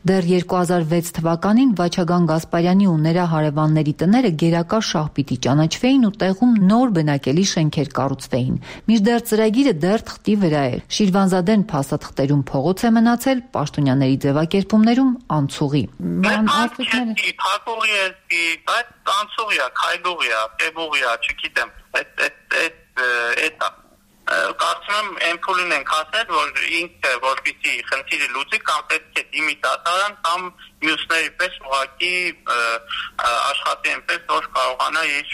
Դեռ երկու հազար վեց թվականին Վաչագան Գասպարյանի ու նրա հարևանների տները գերակա շահ պիտի ճանաչվեին ու տեղում նոր բնակելի շենքեր կառուցվեին։ Մինչդեռ ծրագիրը դեռ թղթի վրա էր։ Շիրվանզադեն փաստաթղթերում փողոց է մնացել, պաշտոնյաների ձևակերպումներում անցուղի։ Փակուղի է, բայց անցուղի է, քայլուղի է, պեբուղի է, չգիտեմ, այդ այդ կարծում եմ էմփուլին ենք ասել, որ ինքը որպեսզի խնդիրը լուծի կամ պետք է դիմի դատարան կամ մյուսների պես ուղղակի աշխատի այնպես, որ կարողանա իր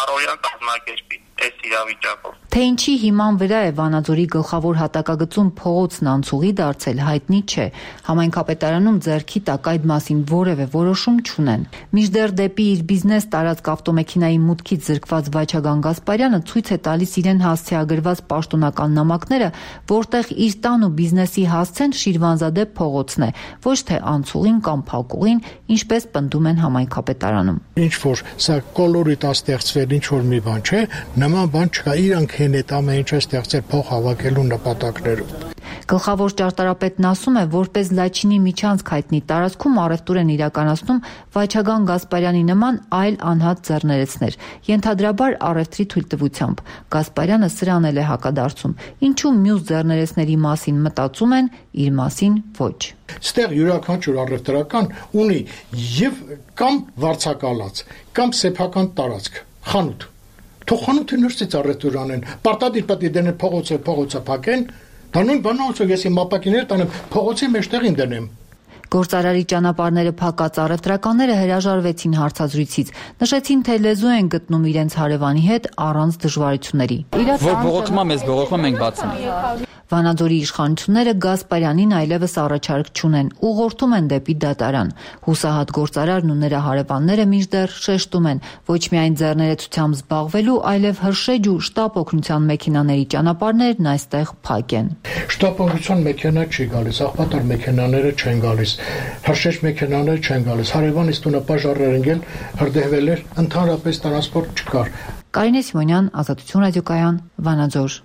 առօրյան կազմակերպի այս իրավիճակով։ Թե ինչի հիման վրա է Վանաձորի գլխավոր հատակագծում փողոցն անցուղի դարձել, հայտնի չէ։ Համայնքապետարանում ձեռքի տակ այդ մասին որևէ որոշում չունեն։ Մինչդեռ դեպի իր բիզնես տարածք ավտոմեքենայի մուտքից զրկված Վաչագան Գասպարյանը ցույց է տալիս իրեն հասցեագրված պաշտոնական նամակները, որտեղ իր տան ու բիզնեսի հասցեն Շիրվանզադե փողոցն է, ոչ թե անցուղին կամ փակուղին, ինչպես պնդում են համայնքապետարանում։ Ինչ որ սա կոլորիտ է ստեղծվել, ինչ որ մի բան չէ, նման բան չկա, իրանք հեն այդ ամեն ինչը ստեղծել փող հավաքելու նպատակներով։ Գլխավոր ճարտարապետն ասում է, որպես Լաչինի միջանցք հայտնի տարածքում առևտուր են իրականացնում Վաչագան Գասպարյանի նման այլ անհատ ձեռներեցներ, ենթադրաբար առևտրի թույլտվությամբ։ Գասպարյանը սրան էլ է հակադարձում, ինչու մյուս ձեռներեցների մասին մտածում են, իր մասին ոչ։ Ստեղ յուրաքանչյուր առևտրական ունի եւ կամ վարձակալած, կամ սեփական տարածք, խանութ։ Թող խանութը նորից առևտուր անեն, պարտադիր պետք է դնեն փողոցը, փողոցը փակեն, դա նույն բանն ոնց որ ես իմ մապակիներ տանեմ, փողոցի մեջտեղին դնեմ։ Գործարարի ճանապարհները փակած առևտրականները հրաժարվեցին հարցազրույցից, նշեցին, թե լեզու են գտնում իրենց հարևանի հետ առանց դժվարությունների։ Որ բողոքումա մեզ բողոքում ենք բացում։ Վանաձորի իշխանությունները Գասպարյանին այլևս առաջարկ չունեն, ուղղորդում են դեպի դատարան։ Հուսահատ գործարարն ու նրա հարևանները մինչդեռ շեշտում են, ոչ միայն ձեռներեցությամբ զբաղվելու, այլև հրշեջ ու շտապ օգնության մեքենաների ճանապարհներն այստեղ փակ են։ Շտապ օգնության մեքենա չի գալիս, աղբատար մեքենաները չեն գալիս, հրշեջ մեքենաները չեն գալիս, հարևանից տունը պաժարներ ընկել, հրդեհվել էր, ընդհանրապես տրանսպորտ չկար։ Կարինե Սիմոնյան, Ազատություն ռադիոկայան, Վանաձոր։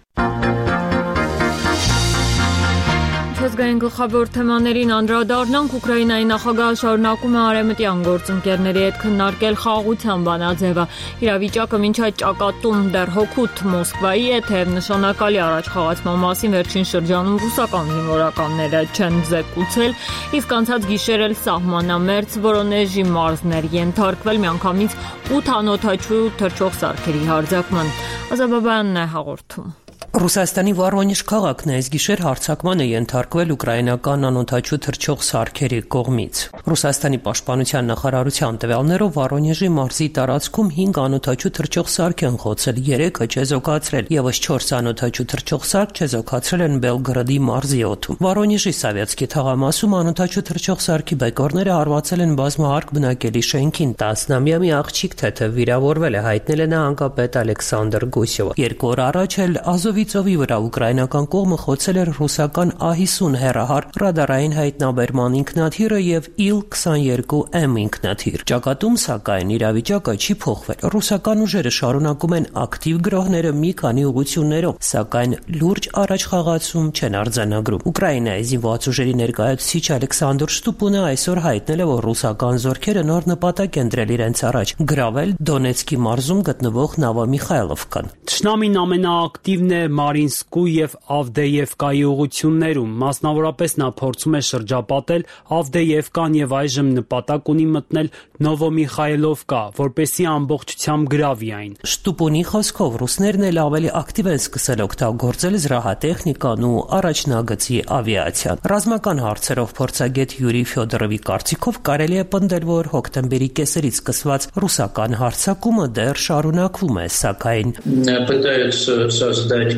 Ազգային գլխավոր թեմաներին անդրադառնանք, Ուկրաինայի նախագահը շարունակում է արևմտյան գործընկերների հետ քննարկել խաղաղության բանաձևը։ Իրավիճակը մինչ այդ ճակատում դեռ հօգուտ Մոսկվայի է, թեև նշանակալի առաջխաղացման մասին վերջին շրջանում ռուսական զինվորականները չեն զեկուցել, իսկ անցած գիշեր էլ սահմանամերձ Վորոնեժի մարզներ ենթարկվել միանգամից ութ անօդաչու թռչող սարքերի հարձակման։ Ազաբաբյանն է հաղորդում։ Ռուսաստանի Վորոնեժ քաղաքն այս գիշեր հարձակման է ենթարկվել ուկրաինական անօդաչու թռչող սարքերի կողմից։ Ռուսաստանի պաշտպանության նախարարության տվյալներով Վորոնեժի մարզի տարածքում հինգ անօդաչու թռչող սարք են խոցել, երեքը չեզոքացրել, եւս չորս անօդաչու թռչող սարք չեզոքացրել են Բելգրադի մարզի օդում։ Վորոնեժի Սովետսկի թաղամասում անօդաչու թռչող սարքի բեկորները հարվածել են բազմահարկ բնակելի շենքին, տասնամյա մի աղջիկ թեթև վիրավորվել է, հայտնել է նահանգապետ Ալեքսանդր Գուսյովը։ Երկու օր առաջ էլ Ազովի ծովի վրա ուկրաինական կողմը խոցել էր ռուսական A հիսուն հեռահար ռադարային հայտնաբերման ինքնաթիռը եւ իլ քսաներկու էմ ինքնաթիռ։ Ճակատում, սակայն, իրավիճակը չի փոխվել։ Ռուսական ուժերը շարունակում են ակտիվ գրոհները մի քանի ուղղություններով, սակայն լուրջ առաջխաղացում չեն արձանագրում։ Ուկրաինայի զինված ուժերի ներկայացուցիչ Ալեքսանդր Շտուպունը այսօր հայտնել է, որ ռուսական զորքերը նոր նպատակ են դրել իրենց առաջ՝ գրավել Դոնեցկի մարզում գտնվող Նովոմիխայլովկան։ Թշնամին ամենաակտիվն է Մարինսկու եւ Ավդեևկայի ուղություններում, մասնավորապես նա փորձում է շրջապատել Ավդեևկան եւ այժմ նպատակ ունի մտնել Նովոմիխայլովկա, որպեսզի ամբողջությամբ գրավի այն։ Շտուպունի խոսքով ռուսներն էլ ավելի ակտիվ են սկսել օգտագործել զրահատեխնիկան ու առաջնագծի ավիացիան։ Ռազմական հարցերով փորձագետ Յուրի Ֆյոդորովի կարծիքով կարելի է պնդել, որ հոկտեմբերի կեսերից սկսված ռուսական հարձակումը դեռ շարունակվում է, սակայն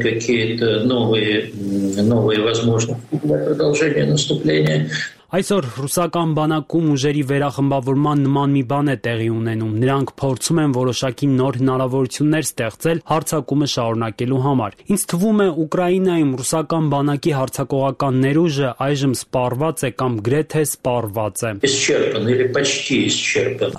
какие-то новые, новые возможности для продолжения наступления. Այսօր ռուսական բանակում ուժերի վերախմբավորման նման մի բան է տեղի ունենում։ Նրանք փորձում են որոշակի նոր հնարավորություններ ստեղծել հարձակումը շարունակելու համար։ Ինձ թվում է Ուկրաինայում ռուսական բանակի հարձակողական ներուժը այժմ սպառված է կամ գրեթե սպառված է։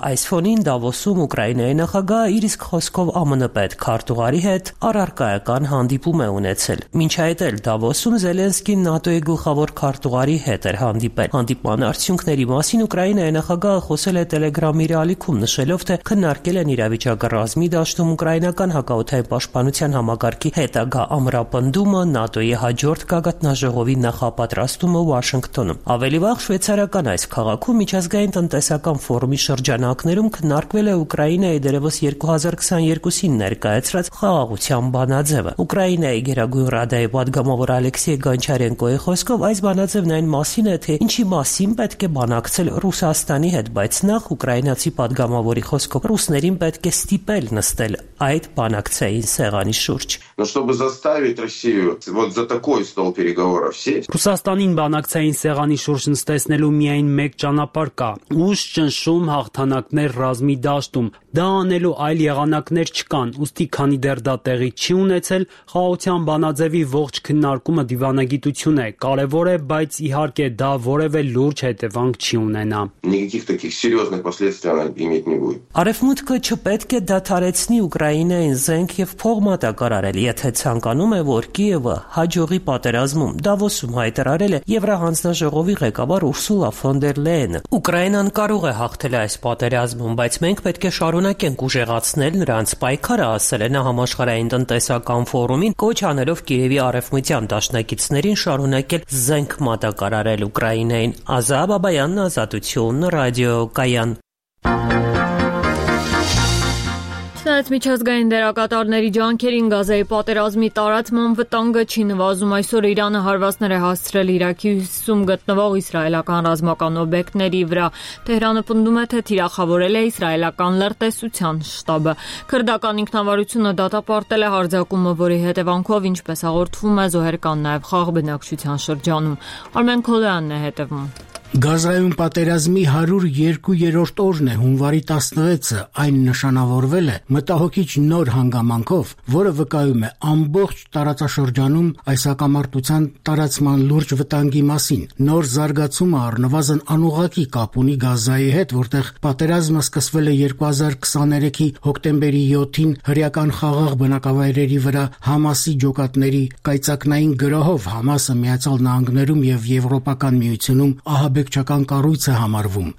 Այս ֆոնին Դավոսում Ուկրաինայի նախագահը իր իսկ խոսքով Ա M N պետ քարտուղարի հետ առարկայական հանդիպում է ունեցել։ Մինչ այդ էլ Դավոսում Զելենսկին ՆԱՏՕ-ի գլխավոր քարտուղարի հետ էր հանդիպել։ Հանդիպման արդյունքների մասին Ուկրաինայի նախագահը խոսել է Telegram իր ալիքում, նշելով, թե քննարկել են իրավիճակը ռազմի դաշտում ուկրաինական հակաօդային պաշտպանության համակարգի հետագա ամրապնդումը, ՆԱՏՕ-ի հաջորդ գագաթնաժողովի նախապատրաստումը Վաշինգտոնում։ Ավելի վաղ շվեյցարական այս քաղաքում միջազգային տնտեսական ֆորումի շրջանակներում քննարկվել է Ուկրաինայի դերևս երկու հազար քսաներկուսին ներկայացրած խաղաղության բանաձևը։ Ուկրաինայի Գերագույն ռադայի պատգամավոր Ալեքսեյ Գոնչարենկոյի խոսքով այս բանաձևն այն մասին է, թե ինչի մասին պետք է բանակցել Ռուսաստանի հետ, բայց նախ ուկրաինացի պատգամավորի խոսքով ռուսներին պետք է ստիպել նստել այդ բանակցային սեղանի շուրջ։ Ռուսաստանին բանակցային սեղանի շուրջ նստեցնելու միայն մեկ ճանապարհ կա՝ ուժ, ճնշում, հաղթանակներ ռազմի դաշտում։ Դա անելու այլ եղանակներ չկան, ուստի քանի դեռ դա տեղի չի ունեցել, խաղաղության բանաձևի ողջ քննարկումը դիվանագիտություն է, կարևոր է, բայց իհարկե դա որևէ լուրջ հետևանք չի ունենա։ Արևմուտքը չպետք է դադարեցնի Ուկրաինային զենք եւ փող մատակարարել, եթե ցանկանում է, որ Կիևը հաջողի պատերազմում։ Դավոսում հայտարարել է Եվրահանձնաժողովի ղեկավար Ուրսուլա ֆոն դեր Լեյենը։ Ուկրաինան կարող է հաղթել այս պատերազմում, բայց մենք պետք է շարունակենք ուժեղացնել նրանց պայքարը, ասել է նա համաշխարհային տնտեսական ֆորումին, կոչ անելով Կիևի արևմտյան դաշնակիցներին շարունակել զենք մատակարարել Ուկրաինային։ Ազա Բաբայանն, Ազատություն, ռադիոկայան։ Չնայած միջազգային դերակատարների ջանքերին Գազայի պատերազմի տարածման վտանգը չի նվազում, այսօր Իրանը հարվածներ է հասցրել Իրաքի հյուսիսում գտնվող իսրայելական ռազմական օբյեկտների վրա։ Թեհրանը պնդում է, թե թիրախավորել է իսրայելական լրտեսության շտաբը։ Քրդական ինքնավարությունը դատապարտել է հարձակումը, որի հետևանքով, ինչպես հաղորդվում է, զոհեր կան նաև խաղ բնակչության շրջանում։ Արմեն Քոլյանն է հետևում։ Գազայում պատերազմի հարյուր երկու-երորդ օրն է, հունվարի տասնվեցը, այն նշանավորվել է մտահոգիչ նոր հանգամանքով, որը վկայում է ամբողջ տարածաշրջանում այս հակամարտության տարածման լուրջ վտանգի մասին։ Նոր զարգացումը առնվազն անուղղակի կապ ունի Գազայի հետ, որտեղ պատերազմը սկսվել է երկու հազար քսաներեքի հոկտեմբերի յոթին հրեական խաղաղ բնակավայրերի վրա Համասի ջոկատների կայծակնային գրոհով։ Համասը Միացյալ Նահանգներում եւ Եվրոպական միությունում ահաբեկչական կառույց է համարվում։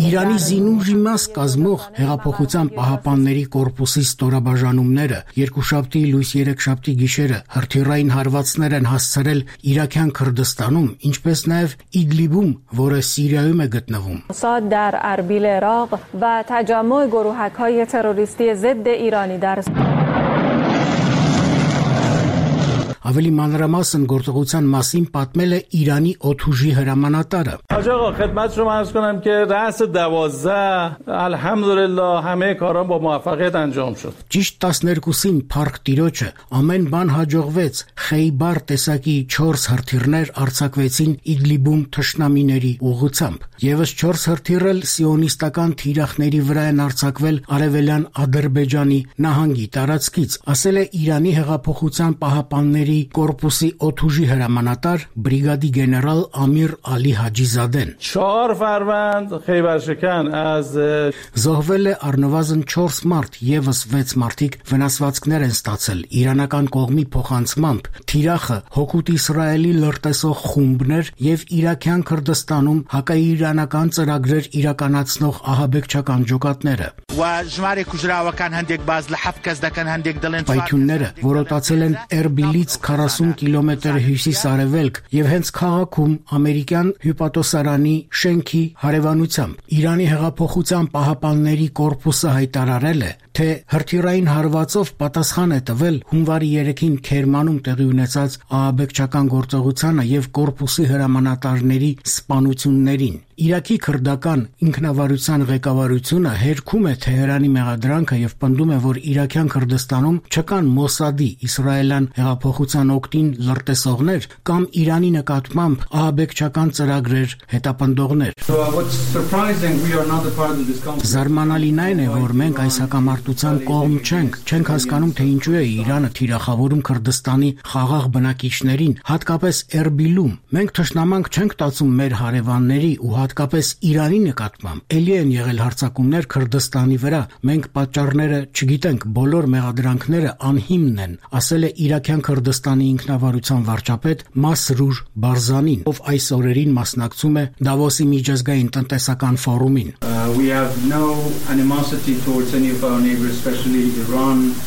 Իրանի զինուժի մաս կազմող Հեղափոխության պահապանների կորպուսի ստորաբաժանումները երկուշաբթի լույս երեքշաբթի գիշերը հրթիռային հարվածներ են հասցրել Իրաքյան Քրդստանում, ինչպես նաև Իդլիբում, որը Սիրիայում է գտնվում։ در اربیل عراق و تجمع گروهک‌های تروریستی ضد ایرانی در Ավելի մանրամասն գործողության մասին պատմել է Իրանի օդուժի հրամանատարը։ آقا خدمت شما عرض کنم که رأس دوازده الحمدلله همه کارا با موفقیت انجام شد. Ճիշտ տասներկուսին Փարք Տիրոջը ամեն բան հաջողվեց։ Խեյբար տեսակի չորս հրթիռներ արձակվեցին Իդլիբում թշնամիների ուղղությամբ։ Եվս չորս հրթիռ էլ սիոնիստական թիրախների վրա են արձակվել արևելյան Ադրբեջանի նահանգի տարածքից, ասել է Իրանի հեղափոխության պահապանների կորպուսի օդուժի հրամանատար բրիգադի գեներալ Ամիր Ալի Հաջիզադեն։ چهار فروند خیبرشکن از Զոհվել է առնվազն չորս մարդ, եւս վեց մարդիկ վնասվածքներ են ստացել։ Իրանական կողմի փոխանցմամբ թիրախը հօգուտ Իսրայելի լրտեսող խումբներ եւ Իրաքյան Քրդստանում հակաիրանական ծրագրեր իրականացնող ահաբեկչական ջոկատները։ Պայթյունները որոտացել են Էրբիլից քառասուն կիլոմետր հյուսիս-արևելք եւ հենց քաղաքում ամերիկյան հյուպատոսարանի շենքի հարևանությամբ։ Իրանի հեղափոխության պահապանների կորպուսը հայտարարել է, թե հրթիռային հարվածով պատասխան է տվել հունվարի երեքին Քերմանում տեղի ունեցած ահաբեկչական գործողությանը եւ կորպուսի հրամանատարների սպանություններին։ Իրաքի քրդական ինքնավարության ղեկավարությունը հերքում է Թեհրանի մեղադրանքը եւ պնդում է, որ Իրաքյան Քրդստանում չկան Մոսադի, իսրայելյան հեղափոխության օգտին լրտեսողներ կամ Իրանի նկատմամբ ահաբեկչական ծրագրեր հետապնդողներ։ Զարմանալին այն է, որ մենք այս հակամարտության կողմ չենք, չենք հասկանում, թե ինչու է Իրանը թիրախավորում Քրդստանի խաղաղ բնակիչներին, հատկապես Էրբիլում։ Մենք թշնամանք չենք տածում մեր հարևանների ու հատկապես Իրանի նկատմամբ։ Էլի են եղել հարձակումներ Քրդստանի վրա։ Մենք պատճառները չգիտենք, բոլոր մեղադրանքները անհիմն են, ասել է Իրաքյան Քրդստանի ինքնավարության վարչապետ Մասրուր Բարզանին, ով այս օրերին մասնակցում է Դավոսի միջազգային տնտեսական ֆորումին։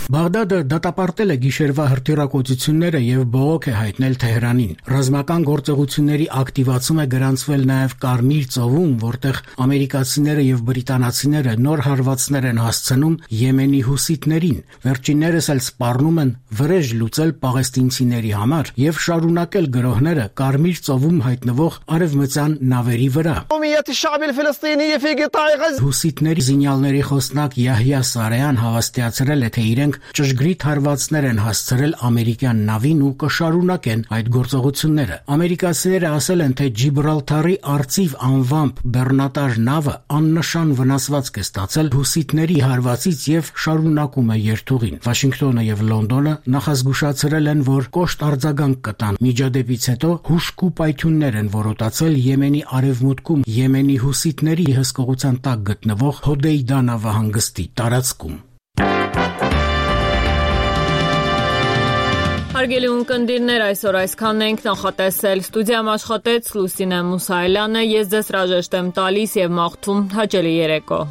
Բաղդադը դատապարտել է գիշերվա հրթիռակոծությունները եւ բողոք է հայտնել Թեհրանին։ Ռազմական գործողությունների ակտիվացում է գրանցվել նաեւ Կարմիր ծովում, որտեղ ամերիկացիները եւ բրիտանացիները նոր հարվածներ են հասցնում Եմենի հուսիտներին։ Վերջիններս էլ սպառնում են վրեժ լուծել պաղեստինցիների համար եւ շարունակել գրոհները Կարմիր ծովում հայտնվող արևմտյան նավերի վրա։ Հուսիտների զինյալների խոսնակ Յահյա Սարեան հավաստիացրել է, թե իրենք ճշգրիտ հարվածներ են հասցրել ամերիկյան նավին ու կշարունակեն այդ գործողությունները։ Ամերիկացիները ասել են, թե Ջիբրալթարի արծիվ անվամբ բեռնատար նավը աննշան վնասվածք է ստացել հուսիտների հարվածից եւ շարունակում է երթուղին։ Վաշինգտոնը եւ Լոնդոնը նախազգուշացրել են, որ կոշտ արձագանք կտան։ Միջադեպից հետո հուժկու պայթյուններ են որոտացել Եմենի արևմուտքում Եմենի հուսիտների հսկողության տակ գտնվող Հոդեյդա նավահանգստի տարածքում։ Հարգելի ունկնդիրներ, այսօր այսքանն ենք նախատեսել։ Ստուդիայում աշխատեց Լուսինե Մուսայելյանը, ես ձեզ հրաժեշտ եմ տալիս եւ մաղթում հաճելի երեկո։